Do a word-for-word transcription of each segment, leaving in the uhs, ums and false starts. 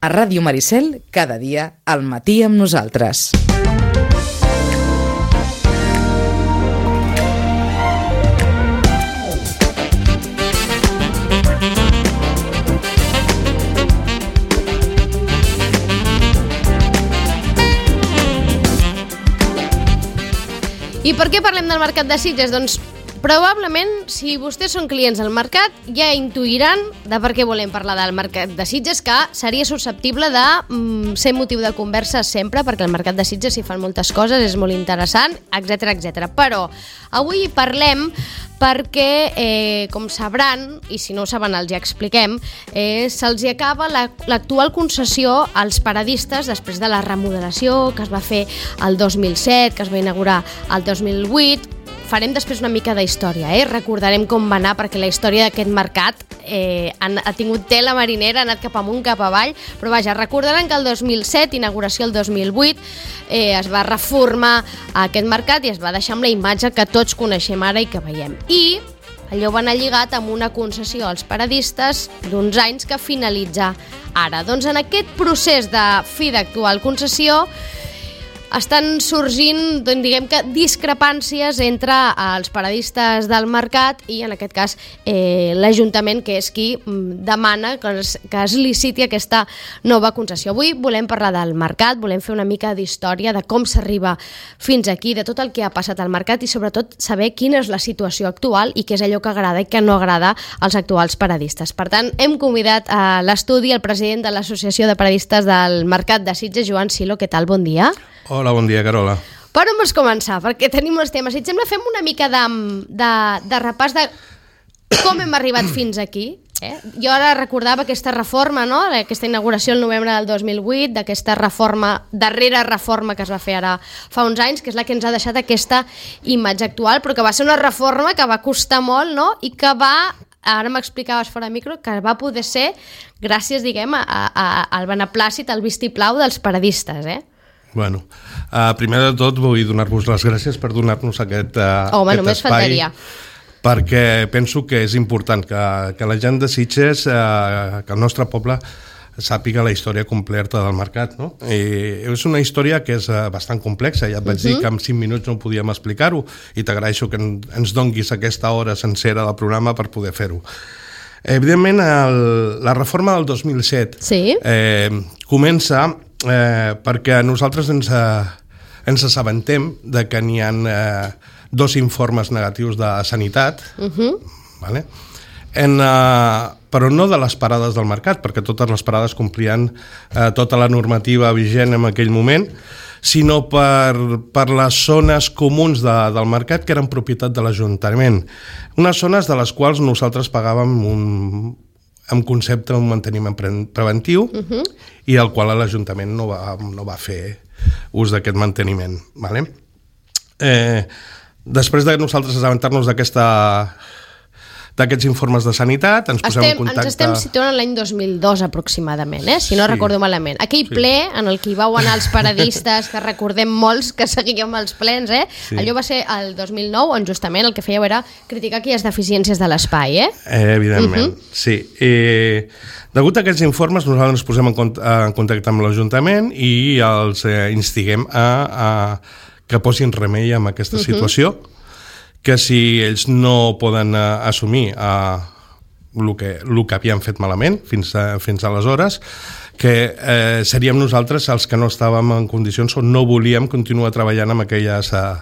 A Ràdio Maricel, cada dia, al matí amb nosaltres. I per què parlem del mercat de Sitges? Doncs probablement, si vostès són clients del mercat, ja intuiran de per què volem parlar del mercat de Sitges, que seria susceptible de mm, ser motiu de conversa sempre, perquè el mercat de Sitges s'hi fan moltes coses, és molt interessant, etcètera, etcètera. Però avui parlem perquè, eh, com sabran, i si no ho saben els ja expliquem, eh, se'ls hi acaba la, l'actual concessió als paradistes després de la remodelació que es va fer el dos mil set, que es va inaugurar el dos mil vuit. Farem després una mica d'història, eh? Recordarem com va anar, perquè la història d'aquest mercat eh, han, ha tingut tela marinera, ha anat cap amunt, cap avall, però vaja, recordaran que el dos mil set, inauguració el dos mil vuit, eh, es va reformar aquest mercat i es va deixar amb la imatge que tots coneixem ara i que veiem. I allò va anar lligat amb una concessió als paradistes d'uns anys que finalitza ara. Doncs en aquest procés de fi d'actual concessió estan sorgint, doncs, diguem que, discrepàncies entre els paradistes del mercat i, en aquest cas, eh, l'Ajuntament, que és qui demana que es, que es liciti aquesta nova concessió. Avui volem parlar del mercat, volem fer una mica d'història de com s'arriba fins aquí, de tot el que ha passat al mercat i, sobretot, saber quina és la situació actual i què és allò que agrada i que no agrada als actuals paradistes. Per tant, hem convidat a l'estudi el president de l'Associació de Paradistes del Mercat de Sitges, Joan Silo. Què tal? Bon dia. Hola, bon dia, Carola. Per on vols començar? Perquè tenim molts temes. Si et sembla, fem una mica de, de, de repàs de com hem arribat fins aquí. Eh? Jo ara recordava aquesta reforma, no? Aquesta inauguració el novembre del dos mil vuit, d'aquesta reforma, darrera reforma que es va fer ara fa uns anys, que és la que ens ha deixat aquesta imatge actual, però que va ser una reforma que va costar molt, no? I que va, ara m'explicaves fora de micro, que va poder ser gràcies, diguem, a, a, al beneplàcit, al vistiplau dels paradistes, eh? Bueno, uh, primer de tot vull donar-vos les gràcies per donar-nos aquest, uh, Home, aquest només espai, faltaria. Perquè penso que és important que, que la gent de Sitges, uh, que el nostre poble sàpiga la història completa del mercat, no? I és una història que és uh, bastant complexa, ja et vaig uh-huh. dir que en cinc minuts no podíem explicar-ho i t'agraeixo que en, ens donguis aquesta hora sencera del programa per poder fer-ho. Evidentment, el, la reforma del dos mil set sí. eh, comença Eh, perquè nosaltres ens, eh, ens assabentem de que n'hi ha eh, dos informes negatius de sanitat, uh-huh. vale? en, eh, però no de les parades del mercat, perquè totes les parades complien eh, tota la normativa vigent en aquell moment, sinó per, per les zones comuns de, del mercat que eren propietat de l'Ajuntament. Unes zones de les quals nosaltres pagàvem un en concepte un manteniment pre- preventiu uh-huh. i el qual l'Ajuntament no va, no va fer ús d'aquest manteniment. Vale? Eh, després de nosaltres assabentar-nos d'aquesta d'aquests informes de sanitat, ens posem estem, en contacte... Ens estem situant l'any dos mil dos aproximadament, eh? si no sí. recordo malament. Aquell sí. ple en el que hi vau anar els paradistes, que recordem molts que seguíem els plens, eh? Sí. Allò va ser el dos mil nou, on justament el que fèieu era criticar aquelles deficiències de l'espai, eh? eh evidentment, uh-huh. sí. Eh, degut a aquests informes, nosaltres ens posem en, cont- en contacte amb l'Ajuntament i els eh, instiguem a, a que posin remei amb aquesta uh-huh. situació, que si ells no poden uh, assumir uh, el que, el que havien fet malament fins, a, fins aleshores, que eh, seríem nosaltres els que no estàvem en condicions o no volíem continuar treballant amb aquelles uh,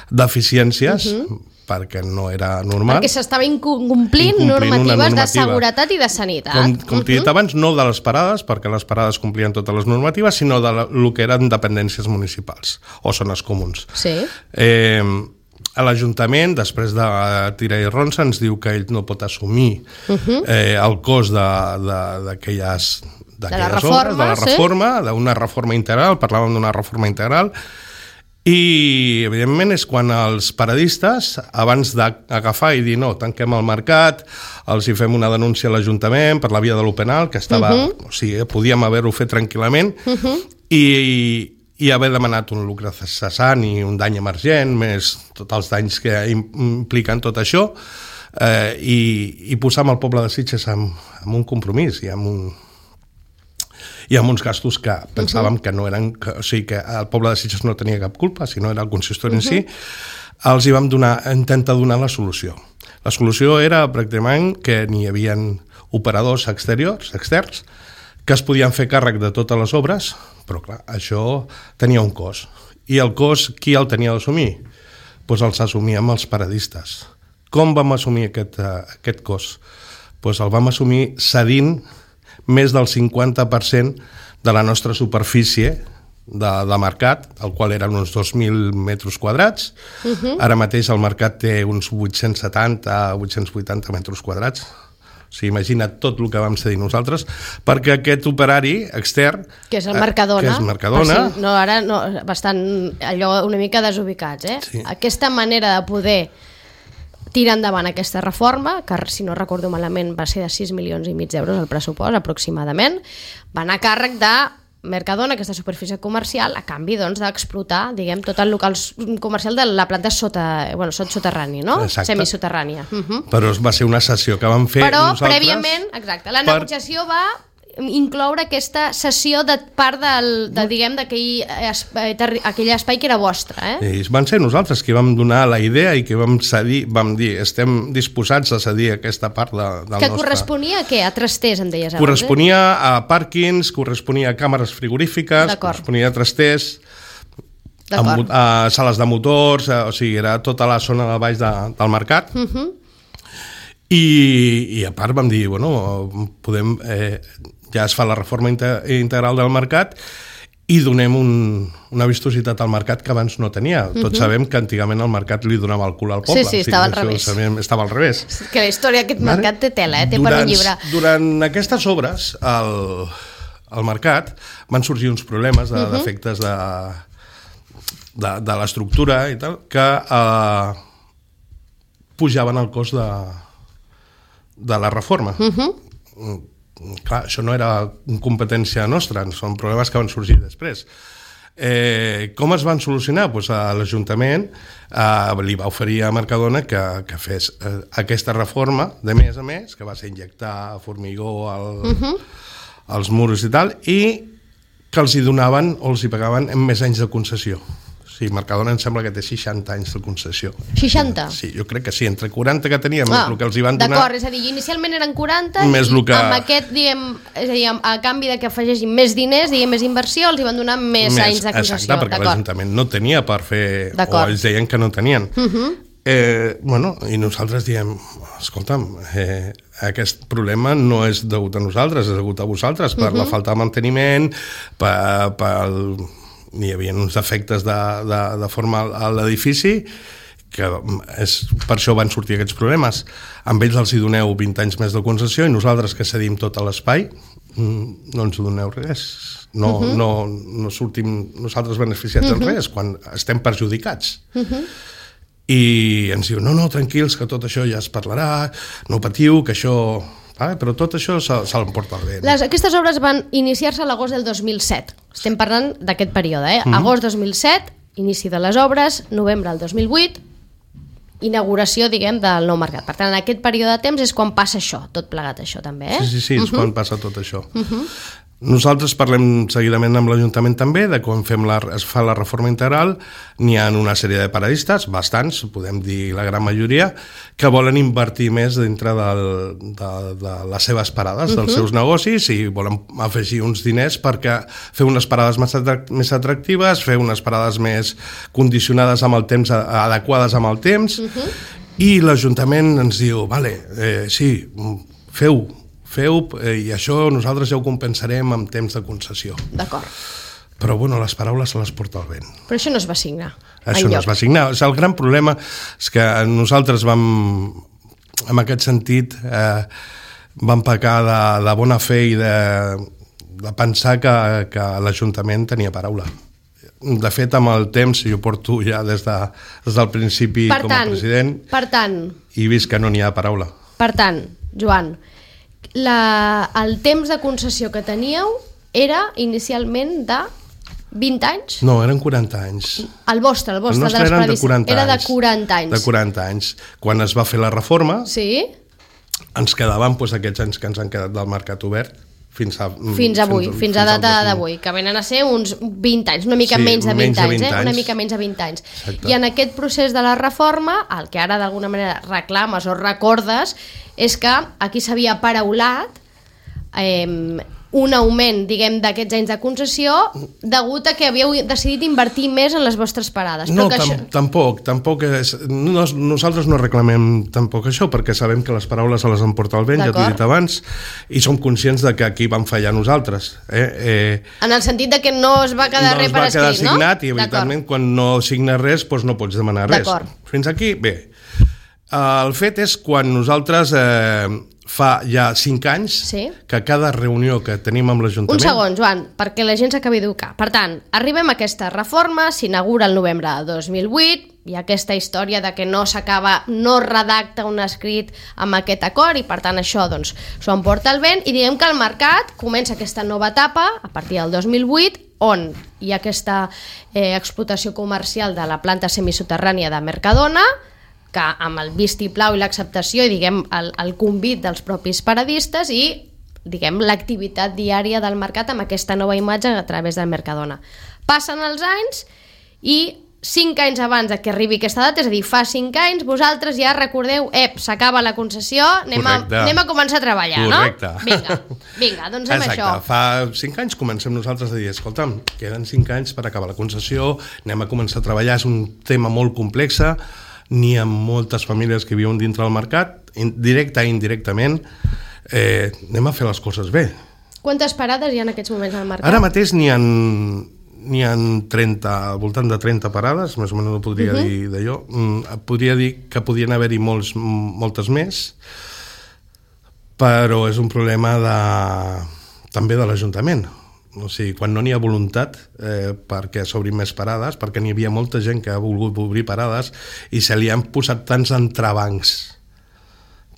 deficiències, uh-huh. perquè no era normal. Perquè s'estava incomplint, incomplint normatives de seguretat i de sanitat. Com, com t'he dit uh-huh. abans, no de les parades, perquè les parades complien totes les normatives, sinó de el que eren dependències municipals o zones comuns. Sí. Eh, a l'Ajuntament, després de tirar i ronça, ens diu que ell no pot assumir uh-huh. eh, el cost d'aquelles de la reforma, de la reforma, sí? d'una reforma integral, parlàvem d'una reforma integral, i evidentment és quan els paradistes, abans d'agafar i dir no, tanquem el mercat, els hi fem una denúncia a l'Ajuntament per la via de lo penal, que estava, uh-huh. o sigui, podíem haver-ho fet tranquil·lament, uh-huh. i i haver demanat un lucre cessant i un dany emergent, més tots els danys que impliquen tot això, eh, i, i posar amb el poble de Sitges amb, amb un compromís i amb un, i amb uns gastos que pensàvem uh-huh. que no eren, que, o sigui, que el poble de Sitges no tenia cap culpa, sinó era el consistori uh-huh. en si, els hi vam donar, intentar donar la solució. La solució era pràcticament que n'hi havia operadors exteriors, externs, que es podien fer càrrec de totes les obres, però clar, això tenia un cost. I el cost, qui el tenia d'assumir? Doncs els assumíem els paradistes. Com vam assumir aquest, uh, aquest cost? Doncs el vam assumir cedint més del cinquanta per cent de la nostra superfície de, de mercat, el qual eren uns dos mil metres quadrats. Uh-huh. Ara mateix el mercat té uns vuit-cents setanta a vuit-cents vuitanta metres quadrats. O sigui, imagina't tot el que vam cedir nosaltres, perquè aquest operari extern... Que és el Mercadona. Que és Mercadona. Si, no, ara no, bastant allò una mica desubicats, eh? Sí. Aquesta manera de poder tirar endavant aquesta reforma, que si no recordo malament va ser de sis milions i mig d'euros el pressupost aproximadament, va anar a càrrec de Mercadona, aquesta superfície comercial, a canvi doncs, d'explotar, diguem, tot el local comercial de la planta sota, bueno, soterrani, no? Exacte. Semisoterrània. Uh-huh. Però va ser una sessió que vam fer Però, nosaltres... Però prèviament, exacte, la per... negociació va incloure aquesta sessió de part del, de, diguem, d'aquell espai, aquell espai que era vostre, eh? I van ser nosaltres que vam donar la idea i que vam cedir, vam dir, estem disposats a cedir aquesta part de, del que nostre... Que corresponia a què? A trasters, em deies abans, corresponia eh? a pàrquings, corresponia a càmeres frigorífiques, corresponia a trasters, a, a sales de motors, a, o sigui, era tota la zona de baix de, del mercat. Uh-huh. I, I a part vam dir, bueno, podem... Eh, ja es fa la reforma integral del mercat i donem un, una vistositat al mercat que abans no tenia. Uh-huh. Tots sabem que antigament el mercat li donava el cul al poble. Sí, sí, estava al revés. Estava al revés. Que la història d'aquest mercat té tela, eh? Té durant, per un llibre. Durant aquestes obres, al, al mercat, van sorgir uns problemes de, uh-huh. d'efectes de, de, de l'estructura i tal, que eh, pujaven el cost de, de la reforma. Uh-huh. Clar, això no era competència nostra, són problemes que van sorgir després. Eh, com es van solucionar? Pues a l'Ajuntament eh, li va oferir a Mercadona que, que fes eh, aquesta reforma, de més a més, que va ser injectar formigó al, uh-huh. als murs i tal, i que els hi donaven o els hi pagaven en més anys de concessió. Sí, Mercadona em sembla que té seixanta anys de concessió. seixanta? Sí, jo crec que sí, entre quaranta que teníem, ah, més el que els hi van donar... D'acord, és a dir, inicialment eren quaranta més i que... amb aquest, diguem, és a dir, a canvi de que afegeixin més diners, diguem, més inversió, els hi van donar més, més anys de concessió. Exacte, perquè l'Ajuntament no tenia per fer... O ells deien que no tenien. Uh-huh. eh, bueno, i nosaltres diem, escolta'm, eh, aquest problema no és degut a nosaltres, és degut a vosaltres, per uh-huh. la falta de manteniment, per... per hi havia uns defectes de, de, de forma a l'edifici que és, per això van sortir aquests problemes. Amb ells els hi doneu vint anys més de concessió i nosaltres que cedim tot l'espai no ens doneu res. No, uh-huh. no, no sortim nosaltres beneficiats uh-huh. en res quan estem perjudicats. Uh-huh. I ens diu, no, no, tranquils, que tot això ja es parlarà, no patiu, que això... Ah, però tot això se, se l'emporta el vent. Les, aquestes obres van iniciar-se a l'agost del dos mil set. Estem parlant d'aquest període, eh? Mm-hmm. Agost dos mil set, inici de les obres, novembre del dos mil vuit, inauguració, diguem, del nou mercat. Per tant, en aquest període de temps és quan passa això, tot plegat això també, eh? Sí, sí, sí, és uh-huh. quan passa tot això. Uh-huh. Nosaltres parlem seguidament amb l'Ajuntament també de quan fem la, es fa la reforma integral. N'hi ha una sèrie de paradistes, bastants, podem dir la gran majoria, que volen invertir més dintre del, de, de les seves parades, uh-huh. dels seus negocis, i volen afegir uns diners perquè fer unes parades més, atract, més atractives, fer unes parades més condicionades amb el temps, adequades amb el temps, uh-huh. i l'Ajuntament ens diu, vale, eh, sí, feu feu, eh, i això nosaltres ja ho compensarem amb temps de concessió. D'acord. Però, bueno, les paraules se les porta el vent. Però això no es va signar. Això no es va signar. O sigui, el gran problema és que nosaltres vam, en aquest sentit, eh, vam pecar de, de bona fe i de, de pensar que, que l'Ajuntament tenia paraula. De fet, amb el temps, jo porto ja des, de, des del principi per com a tant, president per tant, i he vist que no n'hi ha paraula. Per tant, Joan, La, el temps de concessió que teníeu era inicialment de vint anys? No, eren quaranta anys. El vostre, el vostre, el nostre de eren de quaranta era anys. de quaranta anys. De quaranta anys. Quan es va fer la reforma, sí? ens quedaven doncs, aquests anys que ens han quedat del mercat obert, Fins a, fins avui, fins, fins a data d'avui, que venen a ser uns vint anys, una mica sí, menys de vint, menys anys, de vint eh? anys, una mica menys de vint anys. Exacte. I en aquest procés de la reforma, el que ara d'alguna manera reclames o recordes, és que aquí s'havia paraulat eh, un augment, diguem, d'aquests anys de concessió degut a que havíeu decidit invertir més en les vostres parades. No, Però tam això... tampoc, tampoc és... No, nosaltres no reclamem tampoc això, perquè sabem que les paraules se les emporta el vent, ja t'ho he dit abans, i som conscients de que aquí vam fallar nosaltres. Eh? Eh, en el sentit de que no es va quedar no res per escrit, no? No es va quedar signat, i evidentment quan no signes res doncs no pots demanar res. Fins aquí, bé. El fet és quan nosaltres... Eh, fa ja cinc anys sí. que cada reunió que tenim amb l'Ajuntament... Un segon, Joan, perquè la gent s'acabi d'educar. Per tant, arribem a aquesta reforma, s'inaugura el novembre de dos mil vuit, hi ha aquesta història de que no s'acaba, no redacta un escrit amb aquest acord i per tant això doncs s'ho emporta el vent i diguem que el mercat comença aquesta nova etapa a partir del dos mil vuit on hi ha aquesta eh, explotació comercial de la planta semisoterrània de Mercadona, que amb el vistiplau i l'acceptació i diguem el, el convit dels propis paradistes i diguem l'activitat diària del mercat amb aquesta nova imatge a través del Mercadona. Passen els anys i cinc anys abans de que arribi aquesta data, és a dir, fa cinc anys, vosaltres ja recordeu, ep, s'acaba la concessió, anem a, anem a començar a treballar, Correcte. No? Vinga, vinga, doncs amb Exacte. això. Fa cinc anys comencem nosaltres a dir, escolta'm, queden cinc anys per acabar la concessió, anem a començar a treballar, és un tema molt complex, n'hi ha moltes famílies que viuen dintre del mercat, directe i indirectament, eh, anem a fer les coses bé. Quantes parades hi ha en aquests moments al mercat? Ara mateix n'hi ha, n'hi ha trenta, al voltant de trenta parades, més o menys no podria uh-huh. dir d'allò. Podria dir que podien haver-hi molts, moltes més, però és un problema de, també de l'Ajuntament. O sigui, quan no n'hi ha voluntat eh, perquè s'obrin més parades, perquè n'hi havia molta gent que ha volgut obrir parades i se li han posat tants entrebancs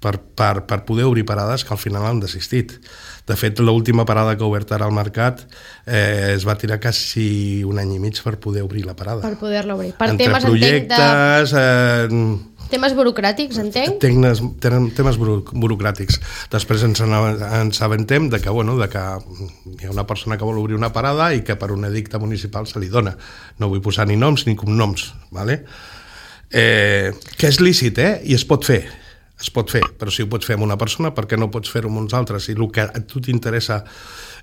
per, per, per poder obrir parades que al final han desistit. De fet, l'última parada que ha obert ara al mercat eh, es va tirar quasi un any i mig per poder obrir la parada. Per poder-la obrir. Per Entre temes, projectes... De... Eh, Temes burocràtics, entenc? Temes, temes burocràtics. Després ens, ens aventem de que, bueno, de que hi ha una persona que vol obrir una parada i que per un edicte municipal se li dona. No vull posar ni noms ni cognoms, ¿vale? eh, que és lícit, eh? I es pot fer. Es pot fer, però si ho pots fer amb una persona, per què no pots fer-ho amb uns altres? I el que a tu t'interessa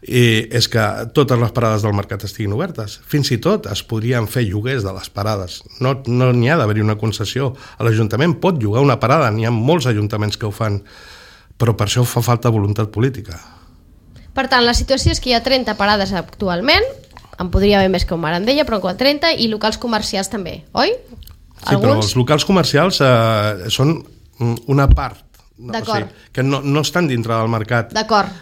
eh, és que totes les parades del mercat estiguin obertes. Fins i tot es podrien fer lloguers de les parades. No no n'hi ha d'haver-hi una concessió. L'Ajuntament pot llogar una parada, n'hi ha molts ajuntaments que ho fan, però per això fa falta voluntat política. Per tant, la situació és que hi ha trenta parades actualment, en podria haver més que un mar en deia, però trenta, i locals comercials també, oi? Sí, Alguns? Però els locals comercials eh, són una part, no, o sigui, que no, no estan dintre del mercat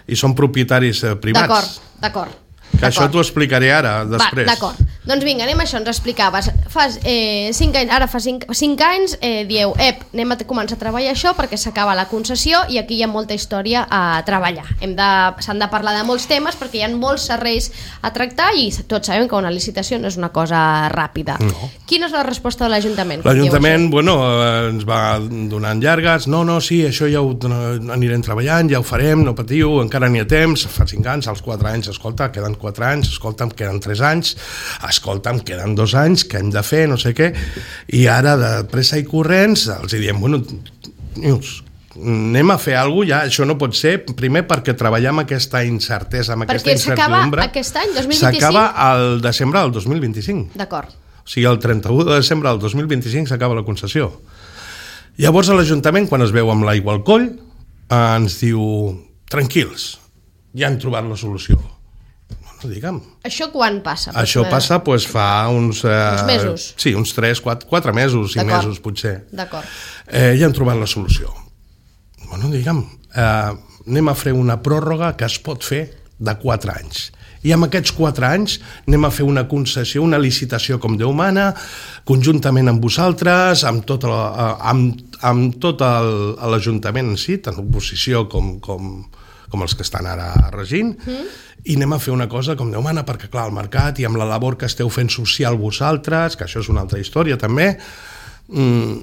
i són propietaris eh, privats. D'acord, d'acord. Que això t'ho explicaré ara, després. Va, d'acord. Doncs vinga, anem a això, ens explicaves. Fas eh, cinc anys, ara fa cinc, cinc anys, eh, dieu, ep, anem a començar a treballar això perquè s'acaba la concessió i aquí hi ha molta història a treballar. Hem de, s'han de parlar de molts temes perquè hi ha molts serveis a tractar i tots sabem que una licitació no és una cosa ràpida. No. Quina és la resposta de l'Ajuntament? L'Ajuntament, bueno, ens va donant llargues, no, no, sí, això ja ho anirem treballant, ja ho farem, no patiu, encara n'hi ha temps, fa cinc anys, als quatre anys, escolta, queden quatre anys, escolta'm, queden tres anys, escolta'm, queden dos anys, què hem de fer, no sé què, i ara de pressa i corrents els diem, bueno, anem a fer alguna cosa, ja, això no pot ser, primer perquè treballem amb aquesta incertesa, amb perquè aquesta incertidumbre. Perquè s'acaba aquest any, dos mil vint-i-cinc? S'acaba al desembre del dos mil vint-i-cinc. D'acord. O sigui, el trenta-u de desembre del dos mil vint-i-cinc s'acaba la concessió. Llavors l'Ajuntament, quan es veu amb l'aigua al coll, ens diu, tranquils, ja hem trobat la solució. No, digue'm. Això quan passa? Això passa pues, fa uns... Eh, uns mesos? Sí, uns tres, quatre, quatre mesos, cinc mesos potser. D'acord. Eh, ja hem trobat la solució. Bueno, digue'm, eh, anem a fer una pròrroga que es pot fer de quatre anys. I amb aquests quatre anys anem a fer una concessió, una licitació com Déu mana, conjuntament amb vosaltres, amb tot, el, amb, amb tot el, l'Ajuntament en si, tant l'oposició com, com, com els que estan ara regint, mm. i anem a fer una cosa com Déu mana, perquè clar, al mercat i amb la labor que esteu fent social vosaltres, que això és una altra història també, mmm,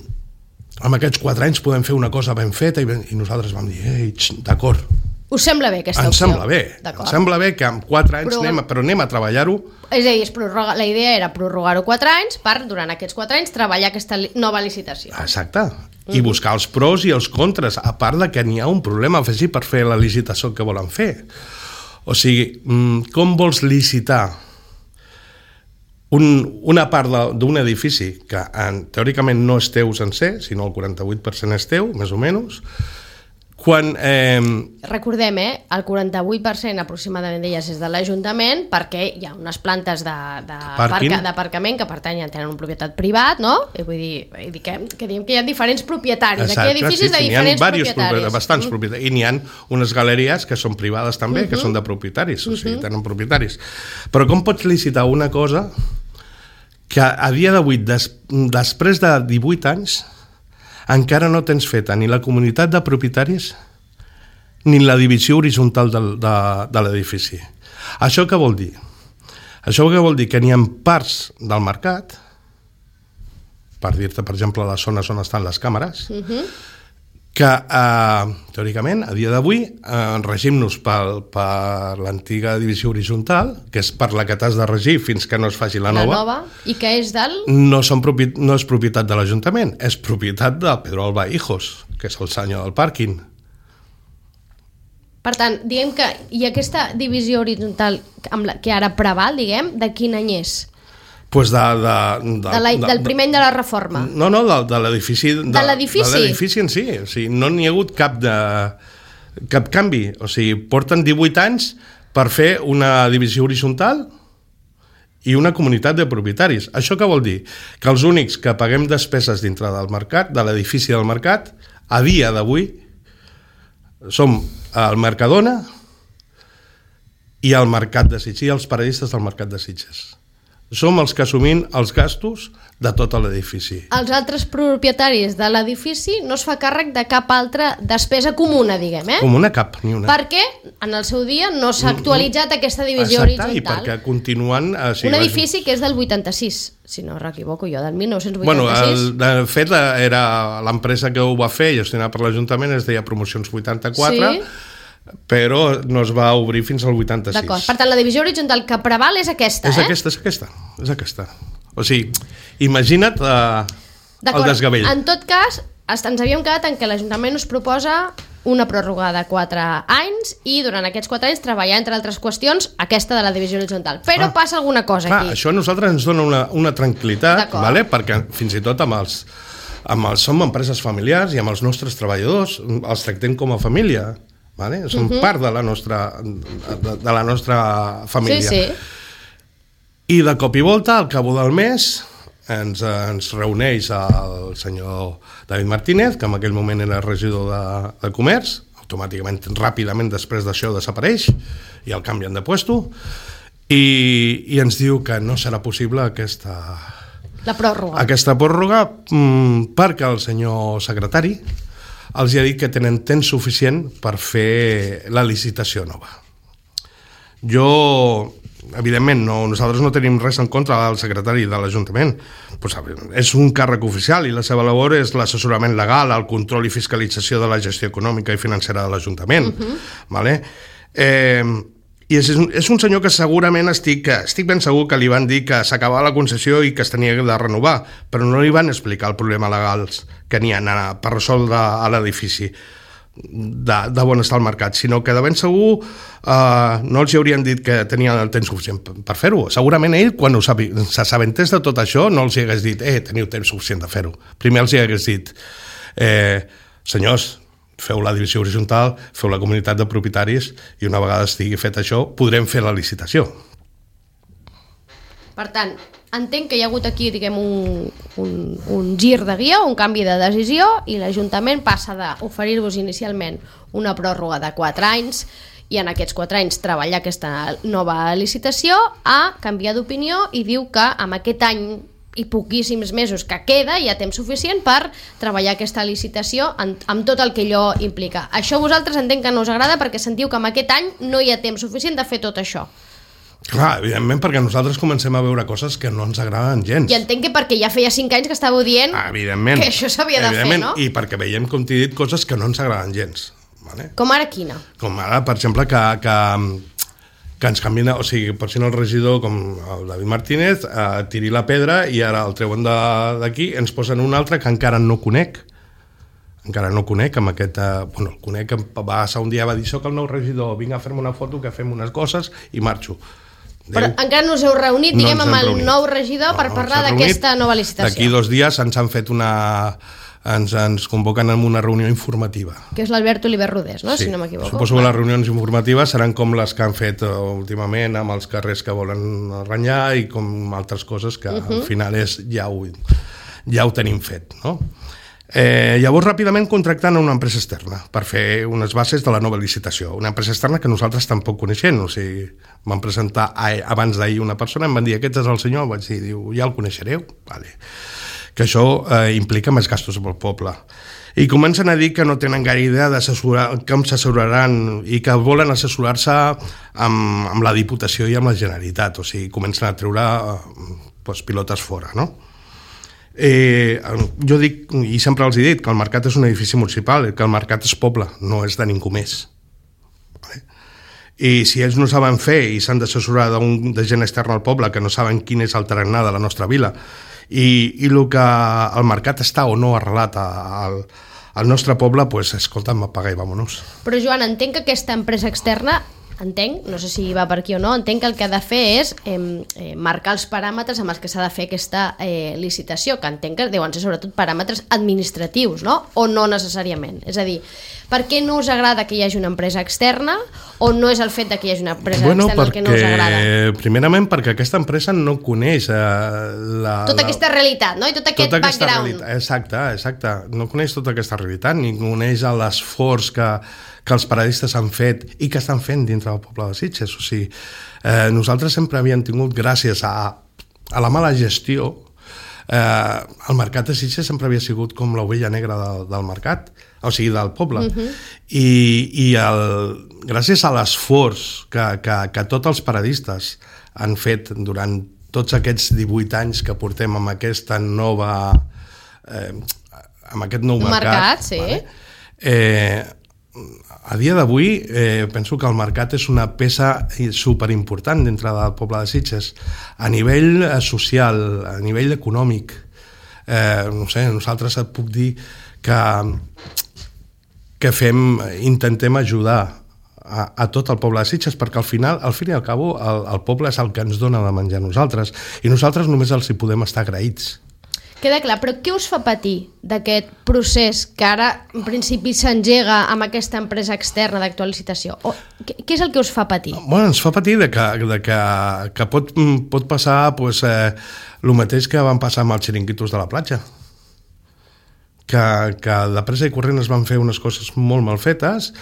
amb aquests quatre anys podem fer una cosa ben feta i, ben, i nosaltres vam dir, ei, d'acord. Us sembla bé aquesta Ens opció? sembla bé. Ens sembla bé que en quatre anys, Però- anem, a- però anem a treballar-ho. És a dir, es prorroga, la idea era prorrogar-ho quatre anys per, durant aquests quatre anys, treballar aquesta li nova licitació. Exacte. I buscar els pros i els contres, a part de que n'hi ha un problema afegit per fer la licitació que volen fer. O sigui, mm, com vols licitar un, una part de- d'un edifici que en, teòricament no és teu sencer, sinó el quaranta-vuit per cent és teu, més o menys, quan... Eh, Recordem, eh, el quaranta-vuit per cent aproximadament d'elles és de l'Ajuntament perquè hi ha unes plantes de, de Pàrquing. d'aparcament que pertanyen, tenen una propietat privat, no? I vull dir, vull dir que, que diem que hi ha diferents propietaris. Aquí hi ha edificis de n'hi ha diferents diversos propietaris. propietaris, bastants propietaris. I n'hi ha unes galeries que són privades també, que són de propietaris, o sigui, tenen propietaris. Però com pots licitar una cosa que a dia d'avui, des, després de divuit anys, encara no tens feta ni la comunitat de propietaris ni la divisió horitzontal del, de, de l'edifici. Això què vol dir? Això què vol dir? Que n'hi ha parts del mercat, per dir-te, per exemple, les zones on estan les càmeres, uh-huh. que, eh, teòricament, a dia d'avui, eh, regim-nos per, per l'antiga divisió horitzontal, que és per la que t'has de regir fins que no es faci la La nova, nova, i que és del... no, són propi... no és propietat de l'Ajuntament, és propietat de Pedro Alba Hijos, que és el senyor del pàrquing. Per tant, diguem que... I aquesta divisió horitzontal amb la, que ara preval, diguem, de quin any és? Pues de, de, de, De la, del primer any de la reforma. No, no, de, de l'edifici... De l'edifici? De l'edifici en si. O sigui, no n'hi ha hagut cap, de, cap canvi. O sigui, porten divuit anys per fer una divisió horitzontal i una comunitat de propietaris. Això què vol dir? Que els únics que paguem despeses dintre del mercat, de l'edifici del mercat, a dia d'avui, som el Mercadona i el Mercat de Sitges, i els paradistes del Mercat de Sitges. Som els que assumim els gastos de tot l'edifici. Els altres propietaris de l'edifici no es fa càrrec de cap altra despesa comuna, diguem, eh? Com una cap, ni una. Perquè en el seu dia no s'ha actualitzat aquesta divisió Exacte, horitzontal. i perquè continuen... Eh, sí, Un edifici que és del vuitanta-sis, si no m'equivoco jo, del mil nou-cents Bueno, vuitanta-sis. el, de fet, era l'empresa que ho va fer, gestionada per l'Ajuntament, es deia Promocions vuitanta-quatre, Sí. però no es va obrir fins al vuitanta-sis. D'acord, per tant la divisió horitzontal que preval és aquesta, És eh? aquesta, és aquesta, és aquesta. O sigui, imagina't eh, el D'acord, desgavell. en tot cas, ens havíem quedat en que l'Ajuntament us proposa una pròrroga de quatre anys i durant aquests quatre anys treballar, entre altres qüestions, aquesta de la divisió horitzontal. Però Ah, passa alguna cosa Clar, aquí. això a nosaltres ens dona una, una tranquil·litat, D'acord. vale? Perquè fins i tot amb els, amb els, som empreses familiars i amb els nostres treballadors els tractem com a família. Vale? Són uh-huh. part de la nostra, de, de la nostra família. Sí, sí. I de cop i volta, al cabo del mes, ens, ens reuneix el senyor David Martínez, que en aquell moment era regidor de, de comerç, automàticament, ràpidament després d'això desapareix i el canvien de puesto, i, i ens diu que no serà possible aquesta, La pròrroga. aquesta pròrroga mmm, perquè el senyor secretari els ha dit que tenen temps suficient per fer la licitació nova. Jo, evidentment, no, nosaltres no tenim res en contra del secretari de l'Ajuntament. Pues, és un càrrec oficial i la seva labor és l'assessorament legal, el control i fiscalització de la gestió econòmica i financera de l'Ajuntament. Uh-huh. Vale? Eh, I és un, és un senyor que segurament estic, estic ben segur que li van dir que s'acabava la concessió i que es tenia de renovar, però no li van explicar el problema legals que n'hi ha per resoldre a l'edifici de, de bon estar al mercat, sinó que de ben segur eh, no els haurien dit que tenien el temps suficient per, per fer-ho. Segurament ell, quan s'assabentés de tot això, no els hi hagués dit eh, teniu temps suficient de fer-ho. Primer els hi hagués dit eh, senyors, feu la divisió horitzontal, feu la comunitat de propietaris i una vegada estigui fet això podrem fer la licitació. Per tant, entenc que hi ha hagut aquí, diguem, un, un, un gir de guió, un canvi de decisió, i l'Ajuntament passa d'oferir-vos inicialment una pròrroga de quatre anys i en aquests quatre anys treballar aquesta nova licitació a canviar d'opinió i diu que amb aquest any i poquíssims mesos que queda hi ha temps suficient per treballar aquesta licitació en, amb tot el que allò implica. Això vosaltres entenc que no us agrada perquè sentiu que amb aquest any no hi ha temps suficient de fer tot això. Clar, evidentment, perquè nosaltres comencem a veure coses que no ens agraden gens. I entenc que perquè ja feia cinc anys que estàveu dient ah, evidentment, que això s'havia de fer, no? I perquè veiem, com t'he dit, coses que no ens agraden gens. Vale? Com ara quina? Com ara, per exemple, que, que, que ens canvien, o sigui, per si no el regidor, com el David Martínez, eh, tiri la pedra i ara el treuen d'aquí, ens posen un altre que encara no conec, encara no conec, amb aquest... Eh, bueno, el conec, va passar un dia, va dir, soc el nou regidor, vinc a fer-me una foto, que fem unes coses i marxo. Déu. Però encara no us heu reunit, no diguem, amb el reunit. nou regidor no, per no parlar d'aquesta nova licitació. D'aquí dos dies ens han fet una... Ens, ens convoquen en una reunió informativa. Que és l'Albert Oliver Rodés, no? Sí. Si no m'equivoco. Suposo que les reunions informatives seran com les que han fet últimament amb els carrers que volen renyar i com altres coses que uh -huh. al final és, ja, ho, ja ho tenim fet, no? Eh, llavors, ràpidament contractant una empresa externa per fer unes bases de la nova licitació. Una empresa externa que nosaltres tampoc coneixem. O sigui, vam presentar abans d'ahir una persona, em van dir, aquest és el senyor, vaig dir, diu, ja el coneixereu? Vale. Que això eh, implica més gastos pel poble. I comencen a dir que no tenen gaire idea d'assessorar, com s'assessoraran i que volen assessorar-se amb, amb la Diputació i amb la Generalitat. O sigui, comencen a treure eh, pues, pilotes fora, no? Eh, jo dic, i sempre els he dit, que el mercat és un edifici municipal, que el mercat és poble, no és de ningú més. Vale? I si ells no saben fer i s'han d'assessorar de gent externa al poble que no saben quin és el tarannà de la nostra vila i, i el que el mercat està o no arrelat al, al nostre poble, pues, escolta'm, apaga i vámonos. Però Joan, entenc que aquesta empresa externa, entenc, no sé si va per aquí o no, entenc que el que ha de fer és eh, eh, marcar els paràmetres amb els que s'ha de fer aquesta eh, licitació, que entenc que deuen ser sobretot paràmetres administratius, no? O no necessàriament. És a dir, per què no us agrada que hi hagi una empresa externa o no és el fet de que hi hagi una empresa bueno, externa el que no us agrada? Primerament perquè aquesta empresa no coneix eh, la, tota la, aquesta realitat, no? I tot aquest tota background. Realitat, exacte, exacte. No coneix tota aquesta realitat, ni coneix l'esforç que, que els paradistes han fet i que estan fent dintre del poble de Sitges. O sigui, eh, nosaltres sempre havíem tingut, gràcies a, a la mala gestió, eh, el mercat de Sitges sempre havia sigut com l'ovella negra del, del mercat, o sigui, del poble. Uh -huh. I, i el, gràcies a l'esforç que, que, que tots els paradistes han fet durant tots aquests divuit anys que portem amb aquesta nova... Eh, amb aquest nou mercat... mercat, sí. Vale? Eh, a dia d'avui eh, penso que el mercat és una peça superimportant dintre del poble de Sitges a nivell social, a nivell econòmic. Eh, no sé, nosaltres et puc dir que, que fem, intentem ajudar a, a tot el poble de Sitges perquè al final, al fin i al cabo, el, el poble és el que ens dona de menjar a nosaltres i nosaltres només els hi podem estar agraïts. Queda clar, però què us fa patir d'aquest procés que ara en principi s'engega amb aquesta empresa externa d'actual licitació? O, què, què és el que us fa patir? Bueno, ens fa patir de que, de que, que pot, pot passar pues, eh, el mateix que van passar amb els xiringuitos de la platja. Que, que de pressa i corrent es van fer unes coses molt mal fetes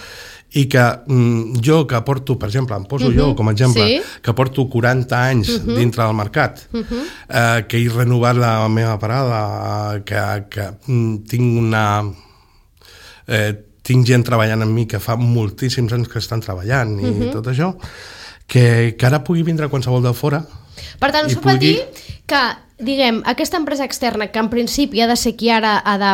i que mm, jo que porto, per exemple, em poso uh -huh. jo com a exemple, sí. que porto quaranta anys uh -huh. dintre del mercat, uh -huh. eh, que he renovat la meva parada, que, que mm, tinc una... Eh, tinc gent treballant amb mi que fa moltíssims anys que estan treballant i uh -huh. tot això, que, que ara pugui vindre qualsevol de fora. Per tant, us fa pugui... patir que, diguem, aquesta empresa externa, que en principi ha de ser qui ara ha de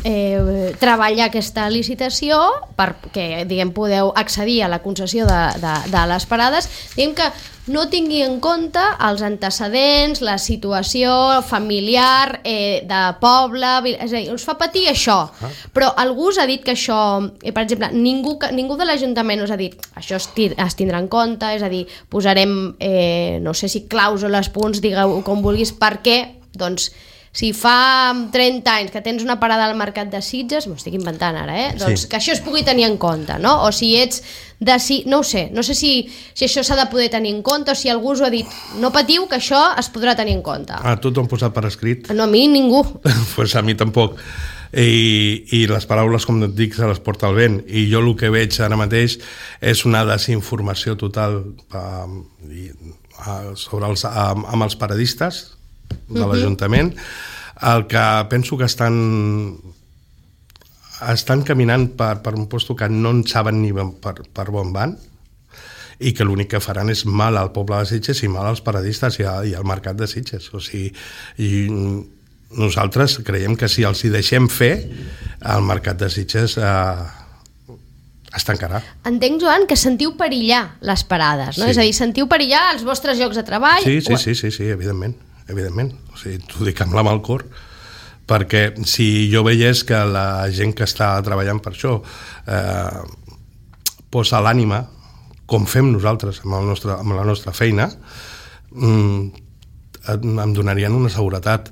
eh, treballar aquesta licitació perquè, diguem, podeu accedir a la concessió de, de, de les parades, diguem que no tingui en compte els antecedents, la situació familiar eh, de poble, és a dir, us fa patir això, ah. però algú us ha dit que això, eh, per exemple, ningú, ningú de l'Ajuntament us ha dit això es, es tindrà en compte, és a dir, posarem, eh, no sé si clàusules, punts, digueu com vulguis, perquè doncs si fa trenta anys que tens una parada al mercat de Sitges, m'ho estic inventant ara, eh? Doncs sí. que això es pugui tenir en compte, no? O si ets de... Si, no ho sé, no sé si, si això s'ha de poder tenir en compte o si algú us ho ha dit, no patiu que això es podrà tenir en compte. A tu t'ho han posat per escrit? No, a mi ningú. Pues a mi tampoc. I, i les paraules, com et dic, se les porta el vent. I jo el que veig ara mateix és una desinformació total uh, uh, sobre els, uh, amb els paradistes de l'Ajuntament, el que penso que estan estan caminant per, per un lloc que no en saben ni per, per on van i que l'únic que faran és mal al poble de Sitges i mal als paradistes i, a, i al mercat de Sitges. O sigui, i nosaltres creiem que si els hi deixem fer, el mercat de Sitges eh, es tancarà. Entenc, Joan, que sentiu perillar les parades, no? Sí. És a dir, sentiu perillar els vostres llocs de treball? Sí, sí, sí, sí, sí, evidentment, evidentment. O sigui, t'ho dic amb la mà al cor, perquè si jo veiés que la gent que està treballant per això eh, posa l'ànima, com fem nosaltres amb, el nostre, amb la nostra feina, mm, em donarien una seguretat.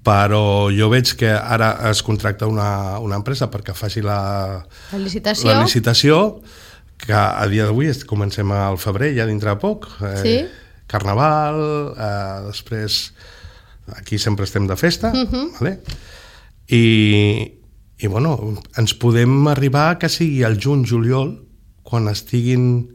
Però jo veig que ara es contracta una, una empresa perquè faci la, La licitació. la licitació, que a dia d'avui comencem al febrer, ja dintre de poc. Eh, Sí. Carnaval, eh, després aquí sempre estem de festa, Mhm. vale? I, i bueno, ens podem arribar que sigui al juny, juliol, quan estiguin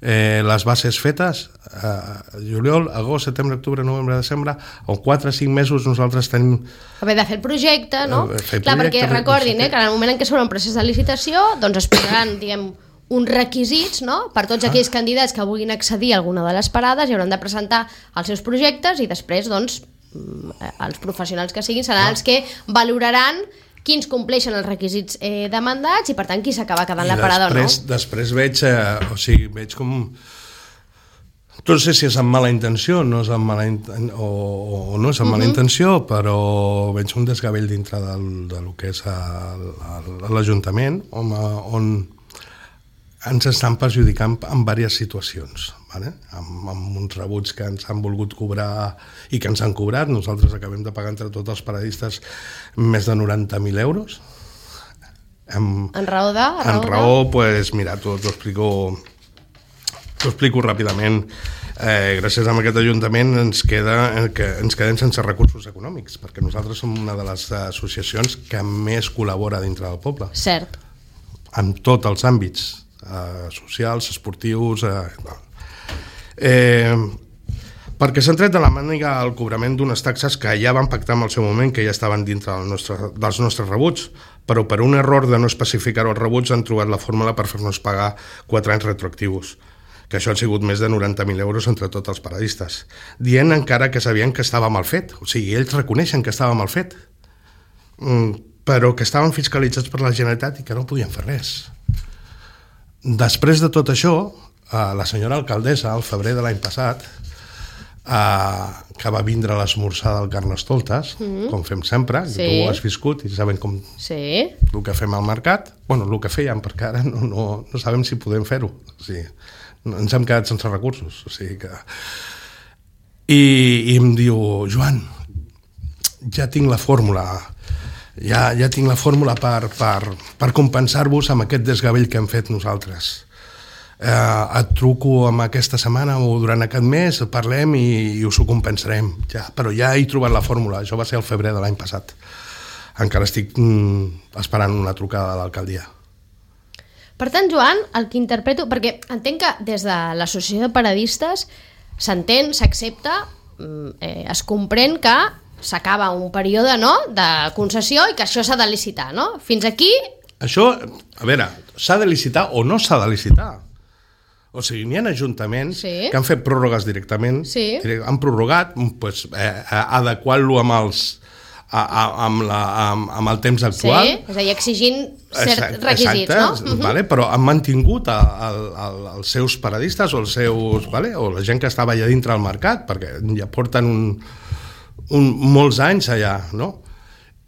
eh, les bases fetes, eh, juliol, agost, setembre, octubre, novembre, desembre, o quatre o cinc mesos nosaltres tenim... Haver de fer el projecte, no? Eh, fer Clar, projecte, perquè recordin, no sé eh, que en el moment en què s'obre un procés de licitació, doncs es posaran, diguem, uns requisits, no?, per tots aquells candidats que vulguin accedir a alguna de les parades i hauran de presentar els seus projectes i després, doncs, mm, els professionals que siguin seran els que valoraran quins compleixen els requisits eh, demandats i, per tant, qui s'acaba quedant I la parada després, o no. després veig, eh, o sigui, veig com... No sé si és amb mala intenció no és amb mala in... o, o no és amb mala Mhm. intenció, però veig un desgavell dintre del, de lo que és el- el- l'Ajuntament, on, on ens estan perjudicant en diverses situacions, vale? amb, amb uns rebuts que ens han volgut cobrar i que ens han cobrat. Nosaltres acabem de pagar entre tots els paradistes més de noranta mil euros. En, En raó de... en raó, pues, mira, t'ho t'ho explico, t'ho explico ràpidament. Eh, gràcies a aquest Ajuntament ens, queda, eh, que ens quedem sense recursos econòmics, perquè nosaltres som una de les associacions que més col·labora dintre del poble, Cert. en tots els àmbits, eh, socials, esportius... Eh, eh, perquè s'han tret de la màniga el cobrament d'unes taxes que ja van pactar en el seu moment, que ja estaven dintre del nostre, dels nostres rebuts, però per un error de no especificar els rebuts han trobat la fórmula per fer-nos pagar quatre anys retroactius, que això han sigut més de noranta mil euros entre tots els paradistes, dient encara que sabien que estava mal fet. O sigui, ells reconeixen que estava mal fet, però que estaven fiscalitzats per la Generalitat i que no podien fer res. Després de tot això, la senyora alcaldessa, al febrer de l'any passat, que va vindre a l'esmorzar del Carnestoltes, mm-hmm. com fem sempre, Sí. que tu ho has viscut i sabem com Sí. el que fem al mercat, bueno, el que fèiem, perquè ara no, no, no sabem si podem fer-ho. O sigui, ens hem quedat sense recursos. O sigui que... I, I em diu, Joan, ja tinc la fórmula, ja, ja tinc la fórmula per, per, per compensar-vos amb aquest desgavell que hem fet nosaltres. Eh, et truco amb aquesta setmana o durant aquest mes, parlem i, i us ho compensarem. Ja, però ja he trobat la fórmula, això va ser el febrer de l'any passat. Encara estic mm, esperant una trucada de l'alcaldia. Per tant, Joan, el que interpreto... Perquè entenc que des de l'associació de paradistes s'entén, s'accepta, eh, es comprèn que s'acaba un període, no?, de concessió i que això s'ha de licitar, no? Fins aquí... Això, a veure, s'ha de licitar o no s'ha de licitar. O sigui, n'hi ha ajuntaments Sí. que han fet pròrrogues directament, Sí. han prorrogat, pues, eh, adequant-lo amb els a, a, amb, la, amb, amb el temps actual. Sí, és a dir, exigint certs Exacte, requisits, exacte, no? Vale? Però han mantingut a, a, a, els seus paradistes o els seus, vale? o la gent que estava allà dintre del mercat, perquè ja porten un, un, molts anys allà, no?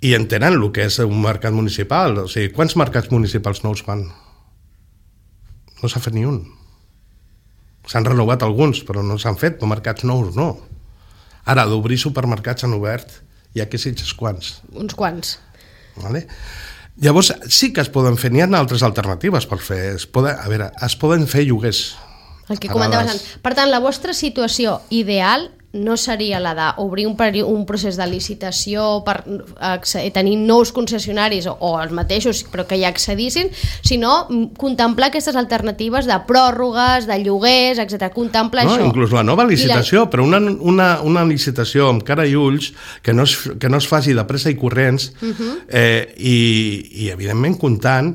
I entenen el que és un mercat municipal. O sigui, quants mercats municipals nous fan? No s'ha fet ni un. S'han renovat alguns, però no s'han fet, però mercats nous no. Ara, d'obrir supermercats han obert, hi ha que sitges quants. Uns quants. Vale? Llavors, sí que es poden fer, n'hi ha altres alternatives per fer. Es poden, a veure, es poden fer lloguers. El que Parades. comentaves abans. Per tant, la vostra situació ideal no seria la d'obrir un, peri- un procés de licitació per acce- tenir nous concessionaris o, o els mateixos, però que ja accedissin, sinó mm, contemplar aquestes alternatives de pròrrogues, de lloguers, etcètera. Contemplar No, això. inclús la nova licitació, I la... però una, una, una licitació amb cara i ulls que no es, que no es faci de pressa i corrents uh-huh. eh, i, i evidentment comptant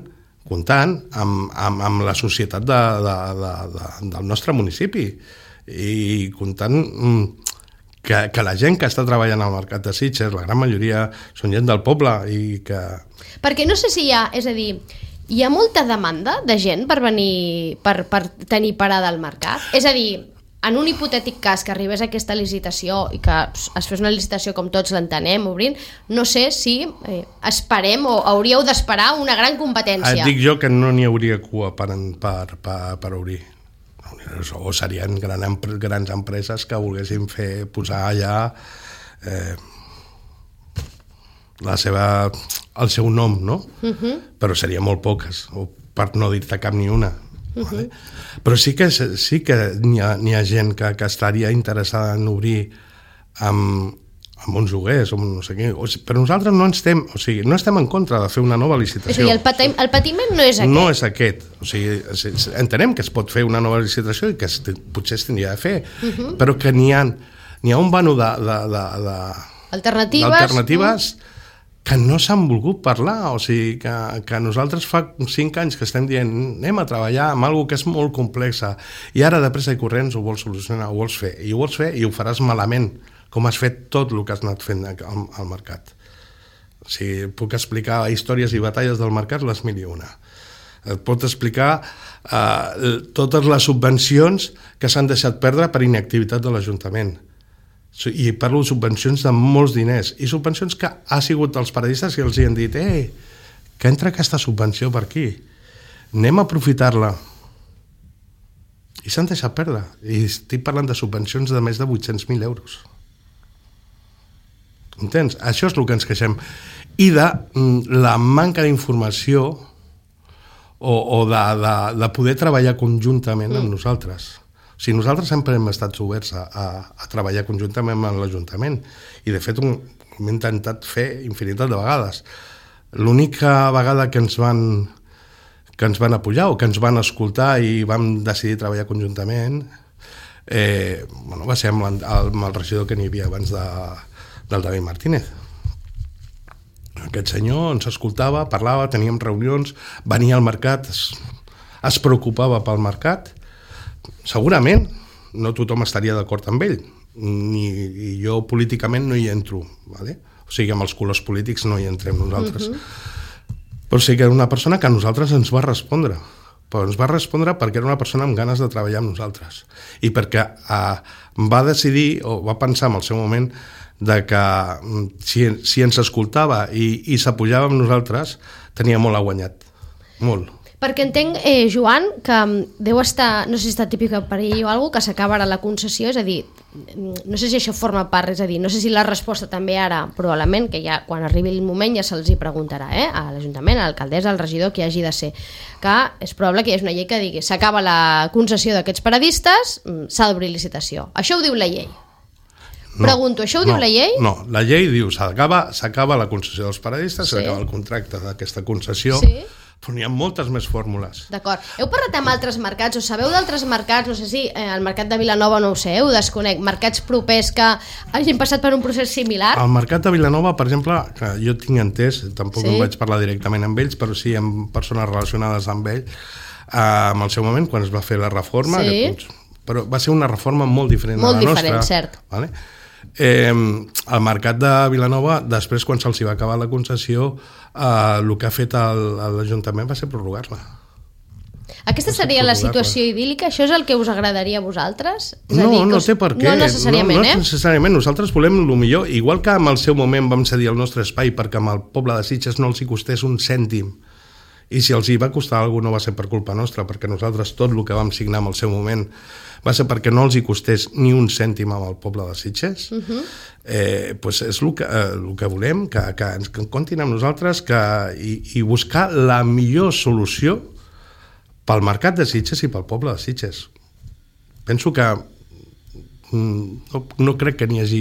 comptant amb, amb, amb la societat de, de, de, de, del nostre municipi i comptant mm, que, que la gent que està treballant al mercat de Sitges, la gran majoria són gent del poble i que... Perquè no sé si hi ha, és a dir, hi ha molta demanda de gent per venir, per, per tenir parada al mercat? És a dir, en un hipotètic cas que arribés a aquesta licitació i que es fes una licitació com tots l'entenem, obrint, no sé si eh, esperem o hauríeu d'esperar una gran competència. Et dic jo que no n'hi hauria cua per, per, per, per obrir. O serien gran, grans empreses que volguessin fer, posar allà eh, la seva, el seu nom, no? Uh-huh. Però seria molt poques, o per no dir-te cap ni una. Uh-huh. Vale? Però sí que, sí que n'hi ha, n'hi ha gent que, que estaria interessada en obrir amb, amb uns joguers, o no sé què. O sigui, però nosaltres no estem, o sigui, no estem en contra de fer una nova licitació. És a dir, el, pati, el patiment no és aquest. No és aquest. O sigui, entenem que es pot fer una nova licitació i que es, potser es tindria de fer, uh-huh. però que n'hi ha, n'hi ha un vano de, de, de, de, alternatives, d'alternatives mm. que no s'han volgut parlar, o sigui, que, que nosaltres fa cinc anys que estem dient anem a treballar amb alguna que és molt complexa i ara de pressa i corrents ho vols solucionar, ho vols fer, i ho vols fer i ho faràs malament, com has fet tot el que has anat fent al, al mercat. O sigui, puc explicar històries i batalles del mercat les mil i una. Et pot explicar eh, totes les subvencions que s'han deixat perdre per inactivitat de l'Ajuntament. I parlo de subvencions de molts diners i subvencions que ha sigut els paradistes que els hi han dit eh, que entra aquesta subvenció per aquí, anem a aprofitar-la, i s'han deixat perdre, i estic parlant de subvencions de més de vuit-cents mil euros. Entens? Això és el que ens queixem, i de la manca d'informació o, o de, de, de poder treballar conjuntament amb nosaltres. O sigui, nosaltres sempre hem estat oberts a, a, a treballar conjuntament amb l'Ajuntament i de fet ho hem intentat fer infinitat de vegades. L'única vegada que ens van que ens van apoyar o que ens van escoltar i vam decidir treballar conjuntament eh, bueno, va ser amb, amb el regidor que n'hi havia abans de, del David Martínez. Aquest senyor ens escoltava, parlava, teníem reunions, venia al mercat, es, es preocupava pel mercat. Segurament no tothom estaria d'acord amb ell, ni i jo políticament no hi entro, vale? O sigui, amb els colors polítics no hi entrem nosaltres. Uh-huh. Però sí que era una persona que a nosaltres ens va respondre, però ens va respondre perquè era una persona amb ganes de treballar amb nosaltres i perquè eh, va decidir o va pensar en el seu moment de que si, si ens escoltava i, i s'apujava amb nosaltres tenia molt a guanyat, molt. Perquè entenc, eh, Joan, que deu estar, no sé si està típica per ell o alguna cosa, que s'acaba ara la concessió, és a dir, no sé si això forma part, és a dir, no sé si la resposta també ara, probablement, que ja quan arribi el moment ja se'ls hi preguntarà, eh, a l'Ajuntament, a l'alcaldessa, al regidor, que hagi de ser, que és probable que hi hagi una llei que digui s'acaba la concessió d'aquests paradistes, s'ha d'obrir licitació. Això ho diu la llei. No, Pregunto, això ho no, diu la llei? No, la llei diu s'acaba s'acaba la concessió dels paradistes, sí. s'acaba el contracte d'aquesta concessió, sí. Però n'hi ha moltes més fórmules. D'acord. Heu parlat amb altres mercats, o sabeu d'altres mercats, no sé si eh, el mercat de Vilanova no ho sé, ho desconec, mercats propers que hagin passat per un procés similar? El mercat de Vilanova, per exemple, que jo tinc entès, tampoc sí. em vaig parlar directament amb ells, però sí amb persones relacionades amb ell, eh, en el seu moment, quan es va fer la reforma, sí. que, però va ser una reforma molt diferent molt de la diferent, nostra. Cert. Vale? Eh, el mercat de Vilanova, després quan se'ls va acabar la concessió, eh, el que ha fet l'Ajuntament va ser prorrogar-la. Aquesta seria la situació idíl·lica? Això és el que us agradaria a vosaltres? És no, a dir, no us... té per què. No necessàriament, no, no eh? No necessàriament. Nosaltres volem el millor. Igual que en el seu moment vam cedir el nostre espai perquè amb el poble de Sitges no els hi costés un cèntim. I si els hi va costar alguna cosa no va ser per culpa nostra, perquè nosaltres tot el que vam signar en el seu moment va ser perquè no els hi costés ni un cèntim amb el poble de Sitges. Uh-huh. eh, pues és el que, eh, el que volem, que, que ens que comptin amb nosaltres que, i, i buscar la millor solució pel mercat de Sitges i pel poble de Sitges. Penso que no, no crec que n'hi hagi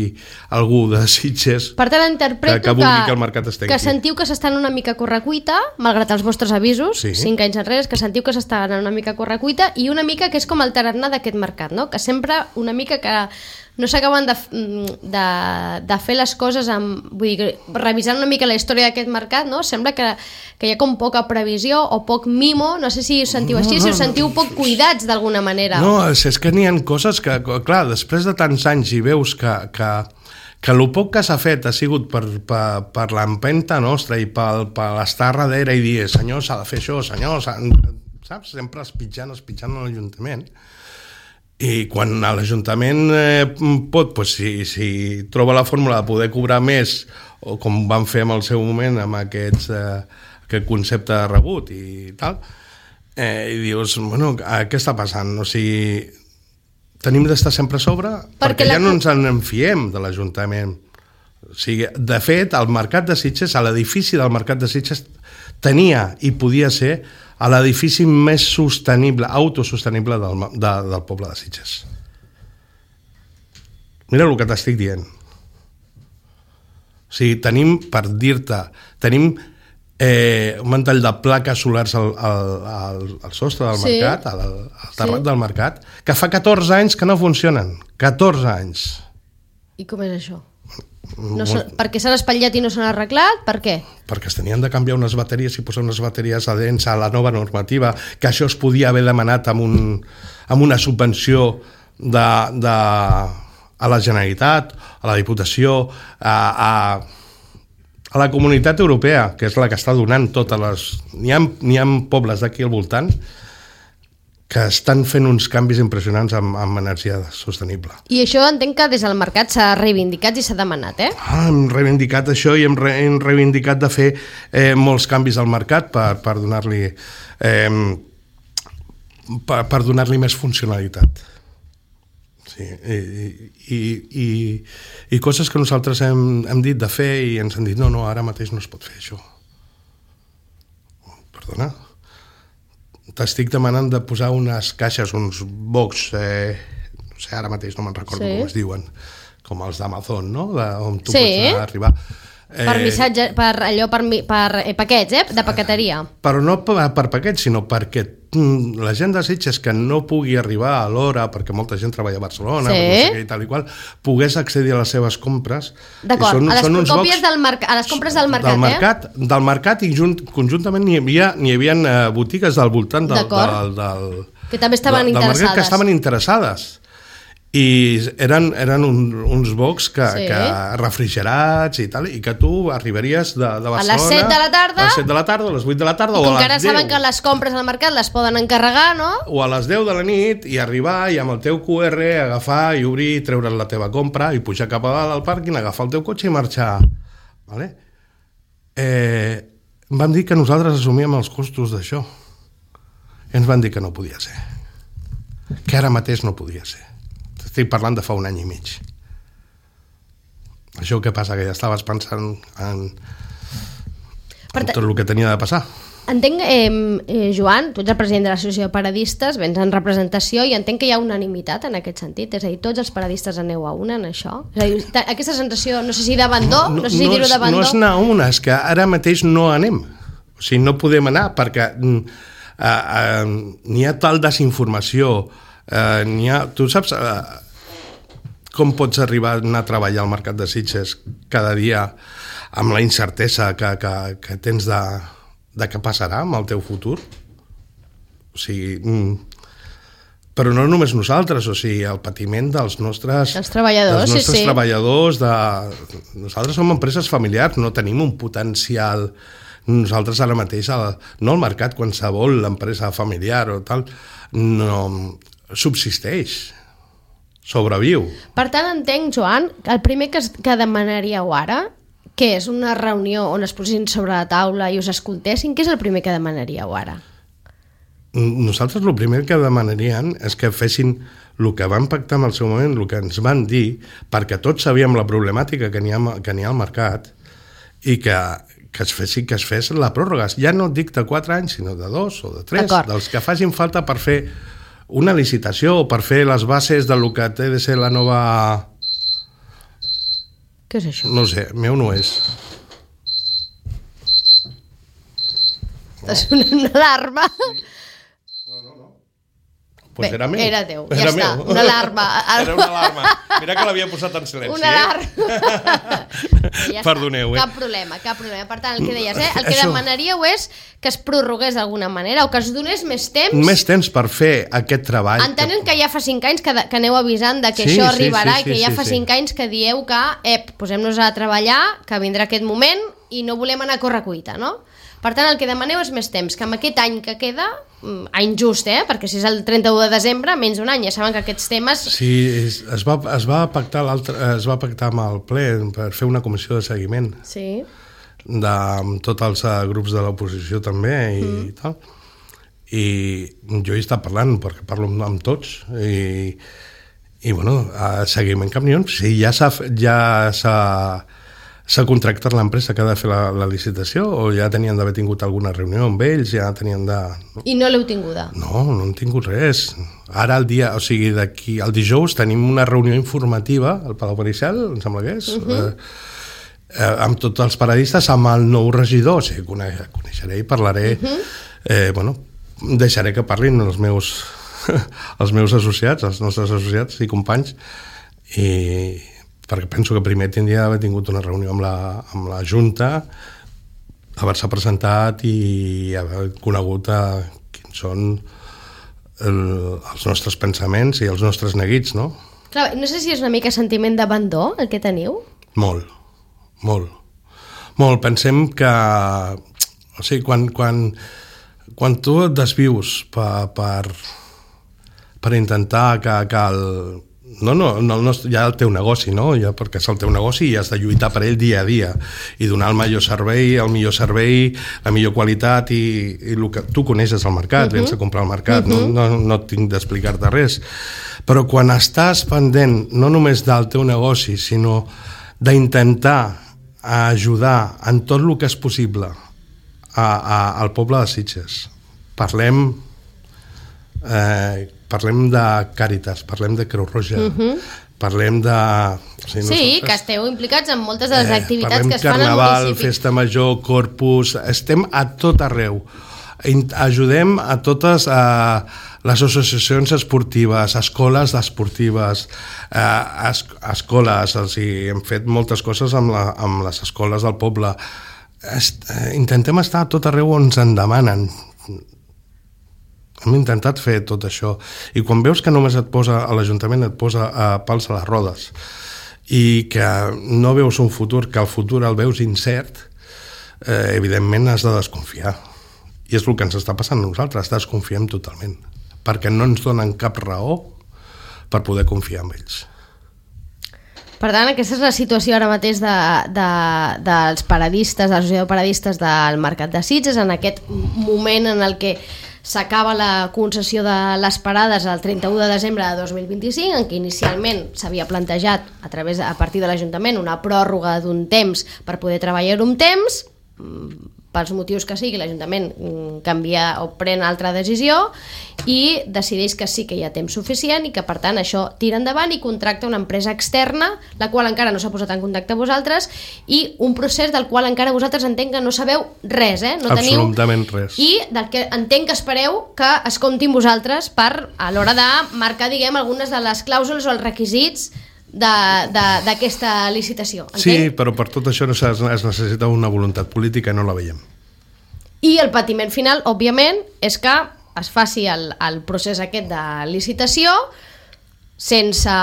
algú de Sitges per tant, interpreto que, que vulgui que el mercat es tanqui. Que sentiu que s'estan una mica a correcuita, malgrat els vostres avisos, sí. cinc anys enrere, que sentiu que s'estan una mica a correcuita i una mica que és com el tarannà d'aquest mercat, no? Que sempre una mica que no s'acaben de, de, de fer les coses amb, vull dir, revisant una mica la història d'aquest mercat, no? Sembla que, que hi ha com poca previsió o poc mimo, no sé si us sentiu no, així, no, si us sentiu poc cuidats d'alguna manera. No, és, és que n'hi ha coses que, clar, després de tants anys i veus que, que, que el poc que s'ha fet ha sigut per, per, per l'empenta nostra i per, per estar darrere i dir, senyor, s'ha de fer això, senyor, saps? Sempre espitjant, espitjant a l'Ajuntament. I quan l'Ajuntament eh, pot, pues, si, si troba la fórmula de poder cobrar més, o com van fer en el seu moment amb aquests, eh, aquest concepte de rebut i tal, eh, i dius, bueno, què està passant? O sigui, tenim d'estar sempre a sobre perquè, perquè ja la... no ens en enfiem de l'Ajuntament. O sigui, de fet, el Mercat de Sitges, a l'edifici del Mercat de Sitges, tenia i podia ser a l'edifici més sostenible, autosostenible del, de, del poble de Sitges. Mira el que t'estic dient. O sigui, tenim, per dir-te, tenim eh, un mantell de plaques solars al, al, al, al sostre del sí. mercat, al, al terrat sí. del mercat, que fa catorze anys que no funcionen. catorze anys. I com és això? No són, perquè s'han espatllat i no s'han arreglat? Per què? Perquè es tenien de canviar unes bateries i posar unes bateries adherents a la nova normativa, que això es podia haver demanat amb, un, amb una subvenció de, de, a la Generalitat, a la Diputació, a, a, a la Comunitat Europea, que és la que està donant totes les... N'hi ha, n'hi ha pobles d'aquí al voltant que estan fent uns canvis impressionants amb, amb energia sostenible. I això entenc que des del mercat s'ha reivindicat i s'ha demanat, eh? Ah, hem reivindicat això i hem, re, hem reivindicat de fer eh, molts canvis al mercat per, per donar-li eh, per, per donar-li més funcionalitat. Sí, i, i, i, i coses que nosaltres hem, hem dit de fer i ens han dit no, no, ara mateix no es pot fer això. Perdona? T'estic demanant de posar unes caixes, uns box, eh, no sé, ara mateix no me'n recordo sí. com es diuen, com els d'Amazon, no? De, on tu sí. pots arribar. Eh, per missatge, per allò, per, per eh, paquets, eh? De paqueteria. Però no per, per paquets, sinó perquè mm, la gent de Sitges que no pugui arribar a l'hora, perquè molta gent treballa a Barcelona, sí. no sé, i tal i qual, pogués accedir a les seves compres. D'acord, a, les còpies del a les compres del mercat, del mercat eh? Del mercat i junt, conjuntament n'hi havia, n'hi havia uh, botigues del voltant del, del, del, que també estaven del, interessades. Del mercat que estaven interessades. I eren, eren un, uns bocs que, sí. que refrigerats i tal, i que tu arribaries de, de Barcelona... A les set de la tarda... A les set de la tarda, a les vuit de la tarda, o a les deu. I com que ara saben que les compres al mercat les poden encarregar, no? O a les deu de la nit, i arribar, i amb el teu cu erre agafar i obrir, treure's la teva compra, i pujar cap a dalt al pàrquing, agafar el teu cotxe i marxar. Vale? Eh, vam dir que nosaltres assumíem els costos d'això. I ens van dir que no podia ser. Que ara mateix no podia ser. Estic parlant de fa un any i mig. Això què passa? Que ja estaves pensant en, en tot el que tenia de passar. Entenc, eh, eh, Joan, tu ets el president de l'Associació de Paradistes, vens en representació i entenc que hi ha unanimitat en aquest sentit, és a dir, tots els paradistes aneu a una en això? És a dir, aquesta sensació, no sé si d'abandó, no, no, no sé si no dir-ho d'abandó. No és anar a una, és que ara mateix no anem. O sigui, no podem anar perquè uh, uh, n'hi ha tal desinformació. Uh, n'hi ha, tu saps uh, com pots arribar a anar a treballar al Mercat de Sitges cada dia amb la incertesa que, que, que tens de, de què passarà amb el teu futur? O sigui, mm, però no només nosaltres, o sigui, el patiment dels nostres, els treballadors, dels nostres sí, sí. treballadors de... Nosaltres som empreses familiars, no tenim un potencial. Nosaltres ara mateix, no al mercat, qualsevol l'empresa familiar o tal, no subsisteix, sobreviu. Per tant, entenc, Joan, que el primer que, es, que demanaríeu ara, que és una reunió on es posin sobre la taula i us escoltessin, què és el primer que demanaríeu ara? Nosaltres el primer que demanarien és que fessin el que van pactar en el seu moment, el que ens van dir, perquè tots sabíem la problemàtica que n'hi ha, que n'hi ha al mercat i que, que es fessi, que es fes la pròrroga. Ja no dic de quatre anys, sinó de dos o de tres, dels que facin falta per fer una licitació o per fer les bases del que té de ser la nova... Què és això? No sé, meu no és. Està sonant una alarma. No, no, no. Pues Bé, era meu. Era teu, ja era està. meu. Una alarma. Era una alarma. Mira que l'havia posat en silenci. Una alarma. Eh? Ja Perdoneu, eh? Cap problema, cap problema. Per tant, el que deies, eh? El que Això. demanaríeu és que es prorrogués d'alguna manera o que es donés més temps. Més temps per fer aquest treball. Entenent que ja fa cinc anys que, que aneu avisant de que Sí, això sí, arribarà sí, sí, i que ja sí, fa sí. cinc anys que dieu que, ep, posem-nos a treballar, que vindrà aquest moment i no volem anar a correcuita, no? Per tant, el que demaneu és més temps, que amb aquest any que queda, mm, any just, eh? Perquè si és el trenta-u de desembre, menys d'un any, ja saben que aquests temes... Sí, es, es, va, es, va pactar l'altre, es va pactar amb el ple per fer una comissió de seguiment Sí. de, amb tots els uh, grups de l'oposició també i mm. tal. I jo hi he estat parlant, perquè parlo amb, amb tots, i, i bueno, a seguiment camions, sí, ja s'ha ja s'ha s'ha contractat l'empresa que ha de fer la, la licitació o ja tenien d'haver tingut alguna reunió amb ells, ja tenien de... I no l'heu tinguda? No, no hem tingut res. Ara el dia, o sigui, d'aquí el dijous tenim una reunió informativa al Palau Maricel, em sembla que és, uh -huh. eh, eh, amb tots els paradistes, amb el nou regidor, o sigui, coneix, coneixeré i parlaré, uh -huh. eh, bueno, deixaré que parlin els meus, els meus associats, els nostres associats i companys, i perquè penso que primer tindria d'haver tingut una reunió amb la, amb la Junta, haver-se presentat i haver conegut a quins són el, els nostres pensaments i els nostres neguits, no? Clar, no sé si és una mica sentiment d'abandó el que teniu. Molt, molt. Molt, pensem que... O sigui, quan, quan, quan tu et desvius per, per, per intentar que, que el... No, no, no, no, ja el teu negoci, no? Ja perquè és el teu negoci i has de lluitar per ell dia a dia i donar el millor servei, el millor servei, la millor qualitat i, i el que tu coneixes al mercat, uh-huh. vens a comprar al mercat, uh-huh. no, no, no tinc d'explicar-te res. Però quan estàs pendent no només del teu negoci, sinó d'intentar ajudar en tot el que és possible a, a, al poble de Sitges, parlem... Eh, parlem de Càritas, parlem de Creu Roja, uh-huh. parlem de... O sigui, sí, nosaltres, que esteu implicats en moltes de les eh, activitats que es Carnaval, fan al municipi. Festa Major, Corpus, estem a tot arreu. Ajudem a totes a les associacions esportives, escoles esportives, eh, es, escoles, o sigui, hem fet moltes coses amb, la, amb les escoles del poble. Est, eh, intentem estar a tot arreu on ens en demanen. Hem intentat fer tot això i quan veus que només et posa a l'Ajuntament et posa a pals a les rodes i que no veus un futur, que el futur el veus incert, eh, evidentment has de desconfiar i és el que ens està passant a nosaltres, desconfiem totalment perquè no ens donen cap raó per poder confiar en ells. Per tant, aquesta és la situació ara mateix de, de, dels paradistes, de l'associació de paradistes del Mercat de Sitges, en aquest moment en el que s'acaba la concessió de les parades el trenta-u de desembre de dos mil vint-i-cinc, en què inicialment s'havia plantejat a través a partir de l'Ajuntament una pròrroga d'un temps per poder treballar-ho un temps, pels motius que sigui, l'Ajuntament canvia o pren altra decisió i decideix que sí que hi ha temps suficient i que per tant això tira endavant i contracta una empresa externa, la qual encara no s'ha posat en contacte amb vosaltres i un procés del qual encara vosaltres entenc que no sabeu res, eh? No absolutament teniu, res. I del que entenc que espereu que es comptin vosaltres per a l'hora de marcar, diguem, algunes de les clàusules o els requisits d'aquesta licitació. Entenc? Sí, però per tot això es necessita una voluntat política i no la veiem. I el patiment final, òbviament, és que es faci el, el procés aquest de licitació sense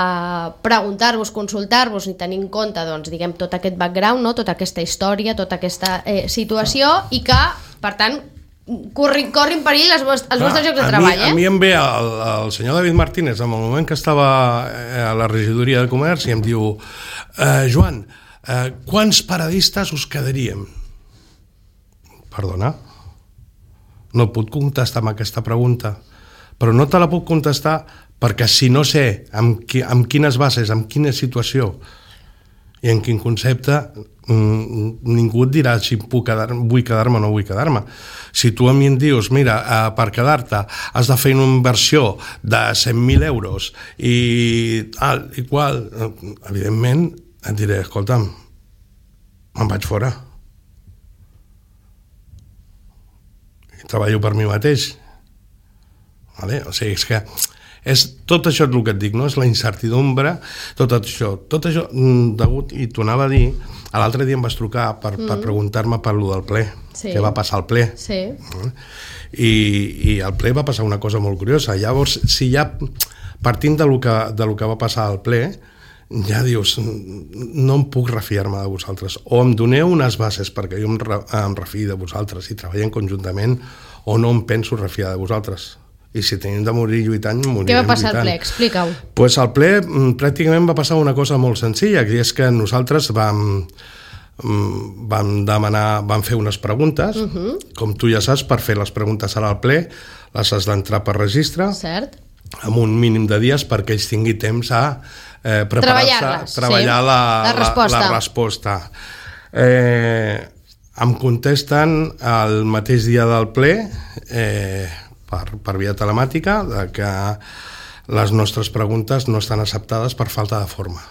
preguntar-vos, consultar-vos ni tenir en compte, doncs, diguem, tot aquest background, no? Tota aquesta història, tota aquesta eh, situació i que, per tant, corrin, corrin perill els vostres, els vostres llocs de treball. Mi, eh? A mi em ve el, el senyor David Martínez en el moment que estava a la regidoria de comerç i em diu eh, Joan, eh, quants paradistes us quedaríem? Perdona? No puc contestar amb aquesta pregunta, però no te la puc contestar perquè si no sé amb, qui, amb quines bases, amb quina situació i en quin concepte, ningú et dirà si puc quedar, vull quedar-me o no vull quedar-me. Si tu a mi em dius, mira, per quedar-te has de fer una inversió de cent mil euros i tal i qual, evidentment et diré, escolta'm, me'n vaig fora. I treballo per mi mateix. Vale? O sigui, és que És tot això és el que et dic, no? És la incertidumbre, tot això, tot això degut, i t'ho anava a dir, l'altre dia em vas trucar per, mm. per preguntar-me per lo del ple, sí. Què va passar al ple. Sí. I, I al ple va passar una cosa molt curiosa. Llavors, si ja, partint de lo que, de lo que va passar al ple, ja dius, no em puc refiar-me de vosaltres. O em doneu unes bases perquè jo em, re, em refiï de vosaltres i treballem conjuntament, o no em penso refiar de vosaltres. I si tenim de morir lluitant, morirem lluitant. Què va passar al ple? Explica-ho. Pues al ple pràcticament va passar una cosa molt senzilla, que és que nosaltres vam, vam demanar, vam fer unes preguntes, uh-huh. Com tu ja saps, per fer les preguntes ara al ple, les has d'entrar per registre, cert. Amb un mínim de dies perquè ells tingui temps a eh, preparar-se, treballar sí. la, la resposta. La, la resposta. Eh, em contesten el mateix dia del ple, eh, Per, per via telemàtica, de que les nostres preguntes no estan acceptades per falta de forma.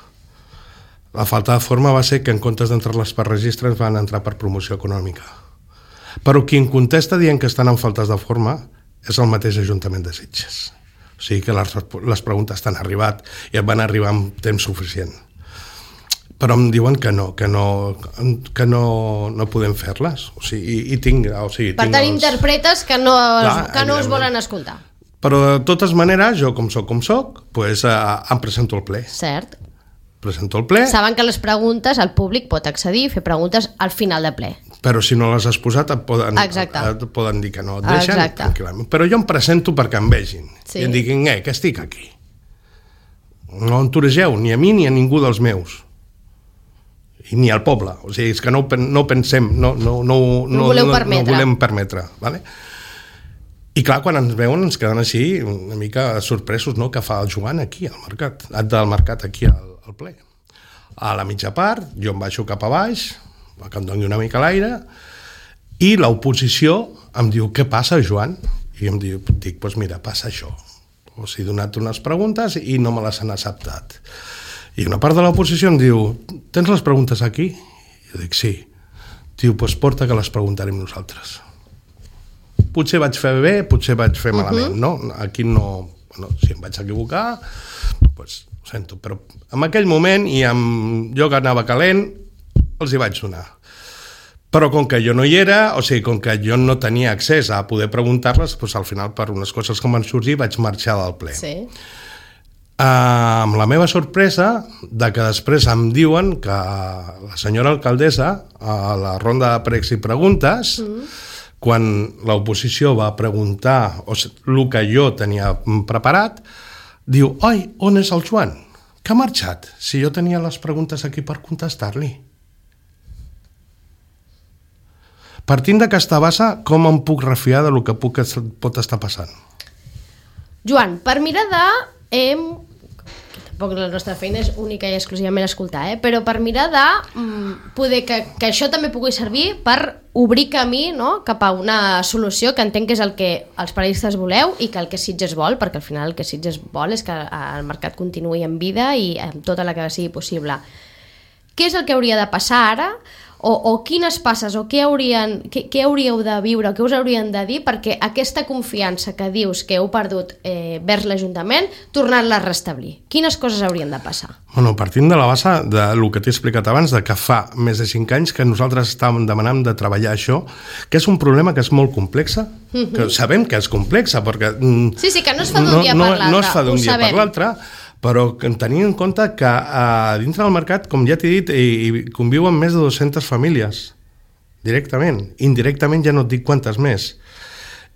La falta de forma va ser que en comptes d'entrar-les per registre ens van entrar per promoció econòmica. Però qui en contesta dient que estan en faltes de forma és el mateix Ajuntament de Sitges. O sigui que les, les preguntes t'han arribat i et van arribar amb temps suficient. Però em diuen que no, que no, que no, no podem fer-les. O sigui, i, i tinc, o sigui, per tinc tant, els... interpretes que no, Clar, que no us volen escoltar. Però de totes maneres, jo com soc com soc, pues, eh, em presento al ple. Cert. Presento al ple. Saben que les preguntes, el públic pot accedir i fer preguntes al final de ple. Però si no les has posat et poden, et poden dir que no et deixen. Exacte. Tranquil·lament. Però jo em presento perquè em vegin. Sí. I em diguin, eh, que estic aquí. No entoregeu ni a mi ni a ningú dels meus. I ni al poble, o sigui, és que no, no pensem, no, no, no, no, voleu no, permetre. no volem permetre, vale? I clar, quan ens veuen ens queden així una mica sorpresos, no?, que fa el Joan aquí al mercat, del mercat aquí al, al ple. A la mitja part, jo em baixo cap a baix, que em doni una mica l'aire, i l'oposició em diu, què passa, Joan? I em diu, dic, doncs mira, passa això. Us he donat unes preguntes i no me les han acceptat. I una part de l'oposició em diu, tens les preguntes aquí? I jo dic, sí. Diu, doncs porta que les preguntarem nosaltres. Potser vaig fer bé, potser vaig fer malament, uh-huh. no? Aquí no... Bueno, si em vaig equivocar, doncs ho sento. Però en aquell moment, i amb jo que anava calent, els hi vaig donar. Però com que jo no hi era, o sigui, com que jo no tenia accés a poder preguntar-les, doncs al final, per unes coses que van sorgir, vaig marxar del ple. Sí. Uh, amb la meva sorpresa de que després em diuen que la senyora alcaldessa a la ronda de pregs i preguntes mm. quan l'oposició va preguntar o sigui, el que jo tenia preparat, diu, oi, on és el Joan? Que ha marxat? Si jo tenia les preguntes aquí per contestar-li. Partint d'aquesta base, com em puc refiar de lo que puc, pot estar passant? Joan, per mirar de... Eh, tampoc la nostra feina és única i exclusivament escoltar, eh? Però per mirar de mm, poder que, que això també pugui servir per obrir camí, no?, cap a una solució que entenc que és el que els periodistes voleu i que el que Sitges vol, perquè al final el que Sitges vol és que el mercat continuï en vida i amb tota la que sigui possible. Què és el que hauria de passar ara? O, o quines passes o què, haurien, què, què hauríeu de viure o què us haurien de dir perquè aquesta confiança que dius que heu perdut eh, vers l'Ajuntament, tornar-la a restablir? Quines coses haurien de passar? Bueno, partint de la base del que t'he explicat abans, de que fa més de cinc anys que nosaltres estàvem demanant de treballar això, que és un problema que és molt complex, mm-hmm. que sabem que és complex, perquè... Sí, sí, que no es fa d'un no, dia per l'altre. No es fa d'un dia sabem. per l'altre, però tenint en compte que a dintre del mercat, com ja t'he dit, hi conviuen més de dues-centes famílies, directament. Indirectament ja no et dic quantes més.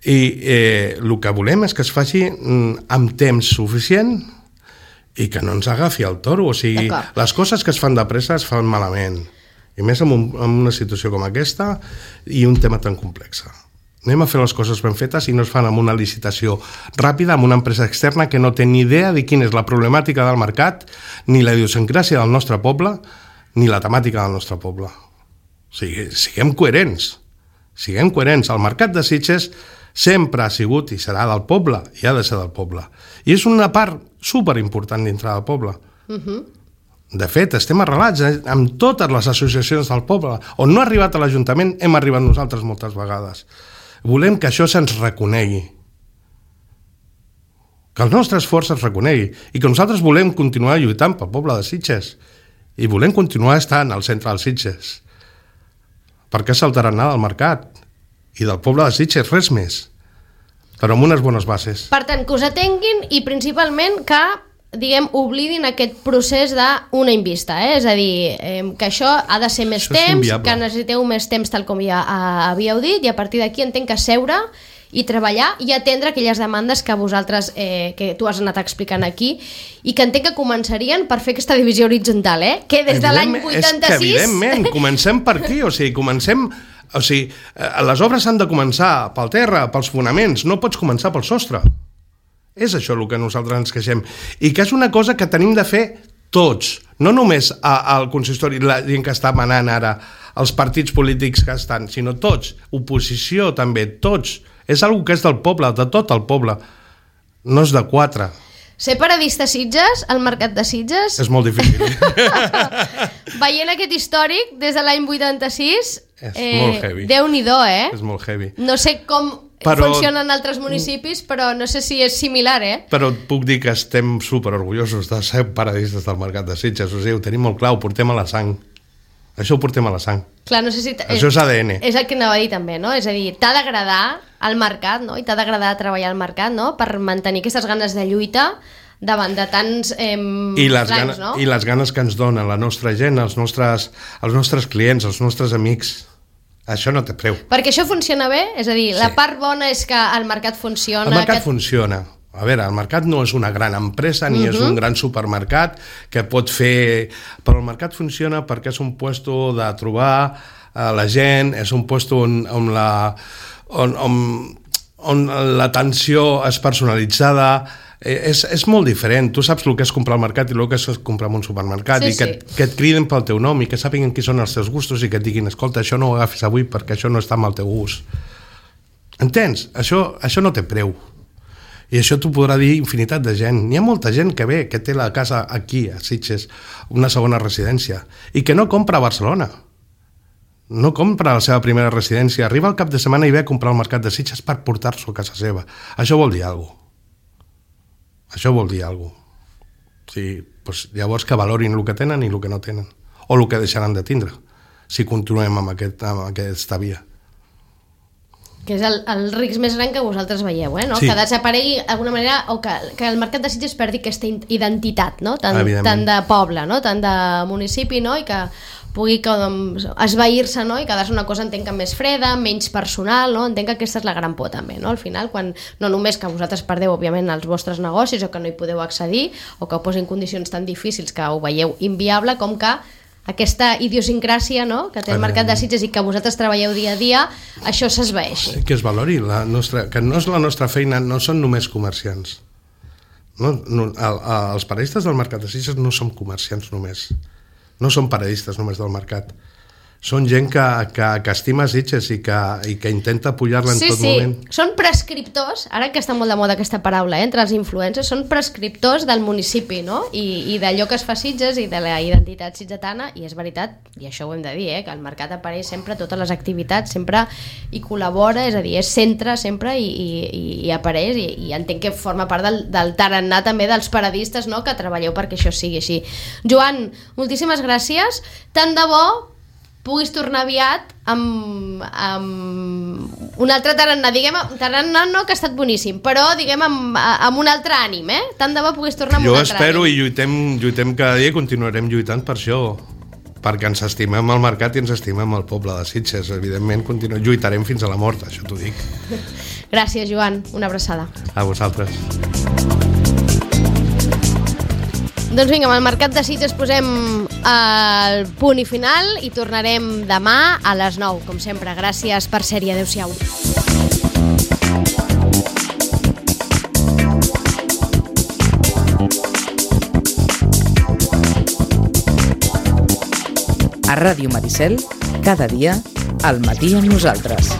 I eh, el que volem és que es faci amb temps suficient i que no ens agafi el toro. O sigui, les coses que es fan de pressa es fan malament. I més en, un, en una situació com aquesta i un tema tan complex. Anem a fer les coses ben fetes i no es fan amb una licitació ràpida amb una empresa externa que no té ni idea de quina és la problemàtica del mercat, ni la idiosincràsia del nostre poble, ni la temàtica del nostre poble. O sigui, siguem coherents. Siguem coherents. El mercat de Sitges sempre ha sigut i serà del poble, i ha de ser del poble. I és una part superimportant dintre del poble. Uh-huh. De fet, estem arrelats eh, amb totes les associacions del poble. On no ha arribat a l'Ajuntament, hem arribat nosaltres moltes vegades. Volem que això se'ns reconegui. que el nostre esforç es reconegui i que nosaltres volem continuar lluitant pel poble de Sitges i volem continuar estant al centre dels Sitges. Per què saltaran nada del mercat i del poble de Sitges? Res més, però amb unes bones bases. Per tant, que us atenguin i principalment que diguem, oblidin aquest procés d'una invista, eh? És a dir, eh, que això ha de ser més això temps, que necessiteu més temps tal com ja uh, havíeu dit, i a partir d'aquí entenc que seure i treballar i atendre aquelles demandes que vosaltres, eh, que tu has anat explicant aquí, i que entenc que començarien per fer aquesta divisió horitzontal, eh? Que des de l'any vuitanta-sis... És que evidentment, comencem per aquí, o sigui, comencem... O sigui, les obres han de començar pel terra, pels fonaments, no pots començar pel sostre. És això el que nosaltres ens queixem. I que és una cosa que tenim de fer tots, no només al consistori, la gent que està manant ara, els partits polítics que estan, sinó tots, oposició també, tots. És una que és del poble, de tot el poble, no és de quatre. Ser paradista a Sitges, al mercat de Sitges... És molt difícil. Veient aquest històric des de l'any vuitanta-sis... És eh, molt heavy. Déu-n'hi-do, eh? És molt heavy. No sé com... Però, funcionen en altres municipis, però no sé si és similar, eh? Però et puc dir que estem superorgullosos de ser paradistes del mercat de Sitges. O sigui, ho tenim molt clar, ho portem a la sang. Això ho portem a la sang. Clar, no sé si... Això és A D N. És el que anava a dir també, no? És a dir, t'ha d'agradar el mercat, no? I t'ha d'agradar treballar al mercat, no? Per mantenir aquestes ganes de lluita davant de tants eh, I les blancs, ganes, no? I les ganes que ens donen la nostra gent, els nostres, els nostres clients, els nostres amics. Això no té preu. Perquè això funciona bé? És a dir, sí. La part bona és que el mercat funciona... El mercat que... funciona. A veure, el mercat no és una gran empresa ni uh-huh. és un gran supermercat que pot fer... Però el mercat funciona perquè és un puesto de trobar a la gent, és un puesto on, on la... on, on, on l'atenció és personalitzada. És, és molt diferent. Tu saps el que és comprar al mercat i el que és comprar en un supermercat, sí, i que, sí. que et criden pel teu nom i que sàpiguen qui són els teus gustos i que et diguin, escolta, això no ho agafis avui perquè això no està amb el teu gust. Entens? Això, això no té preu. I això t'ho podrà dir infinitat de gent. N'hi ha molta gent que ve, que té la casa aquí, a Sitges, una segona residència, i que no compra a Barcelona. No compra la seva primera residència. Arriba al cap de setmana i ve a comprar al mercat de Sitges per portar-s'ho a casa seva. Això vol dir alguna cosa. Això vol dir alguna cosa. Sí, doncs llavors que valorin el que tenen i el que no tenen. O el que deixaran de tindre, si continuem amb, aquest, amb aquesta via. Que és el, el risc més gran que vosaltres veieu, eh? No? Sí. Que desaparegui d'alguna manera, o que, que el mercat de Sitges perdi aquesta identitat, no? Tant, tant de poble, no? Tant de municipi, no? I que pugui com, esvair-se, no? I quedar-se una cosa, entenc que més freda, menys personal, no? Entenc que aquesta és la gran por també, no? Al final, quan no només que vosaltres perdeu, òbviament, els vostres negocis o que no hi podeu accedir o que ho posin condicions tan difícils que ho veieu inviable, com que aquesta idiosincràsia, no? Que té el mercat de Sitges i que vosaltres treballeu dia a dia, això s'esvaeixi. Que es valori, la nostra, que no és la nostra feina, no són només comerciants. No, no, el, els paradistes del mercat de Sitges no som comerciants només. No són paradistes només del mercat. Són gent que, que, que estima Sitges i que, i que intenta apujar-la en sí, tot sí. moment. Són prescriptors, ara que està molt de moda aquesta paraula, eh, entre els influencers, són prescriptors del municipi, no? I, i d'allò que es fa Sitges i de la identitat sitgetana, i és veritat, i això ho hem de dir, eh, que el mercat apareix sempre, totes les activitats, sempre hi col·labora, és a dir, és centre sempre i, i, i apareix, i, i entenc que forma part del, del tarannà també dels paradistes, no?, que treballeu perquè això sigui així. Joan, moltíssimes gràcies, tant de bo puguis tornar aviat amb, amb un altre tarannà, diguem, tarannà no, que ha estat boníssim, però diguem amb, amb un altre ànim, eh? Tant de bo puguis tornar amb jo un altre ànim. Jo espero i lluitem, lluitem cada dia i continuarem lluitant per això, perquè ens estimem el mercat i ens estimem el poble de Sitges. Evidentment continu... lluitarem fins a la mort, això t'ho dic. Gràcies, Joan, una abraçada. A vosaltres. Doncs vinga, amb el mercat de Sitges posem el punt i final i tornarem demà a les nou, com sempre. Gràcies per ser-hi, adeu-siau. A Ràdio Maricel, cada dia, al matí amb nosaltres.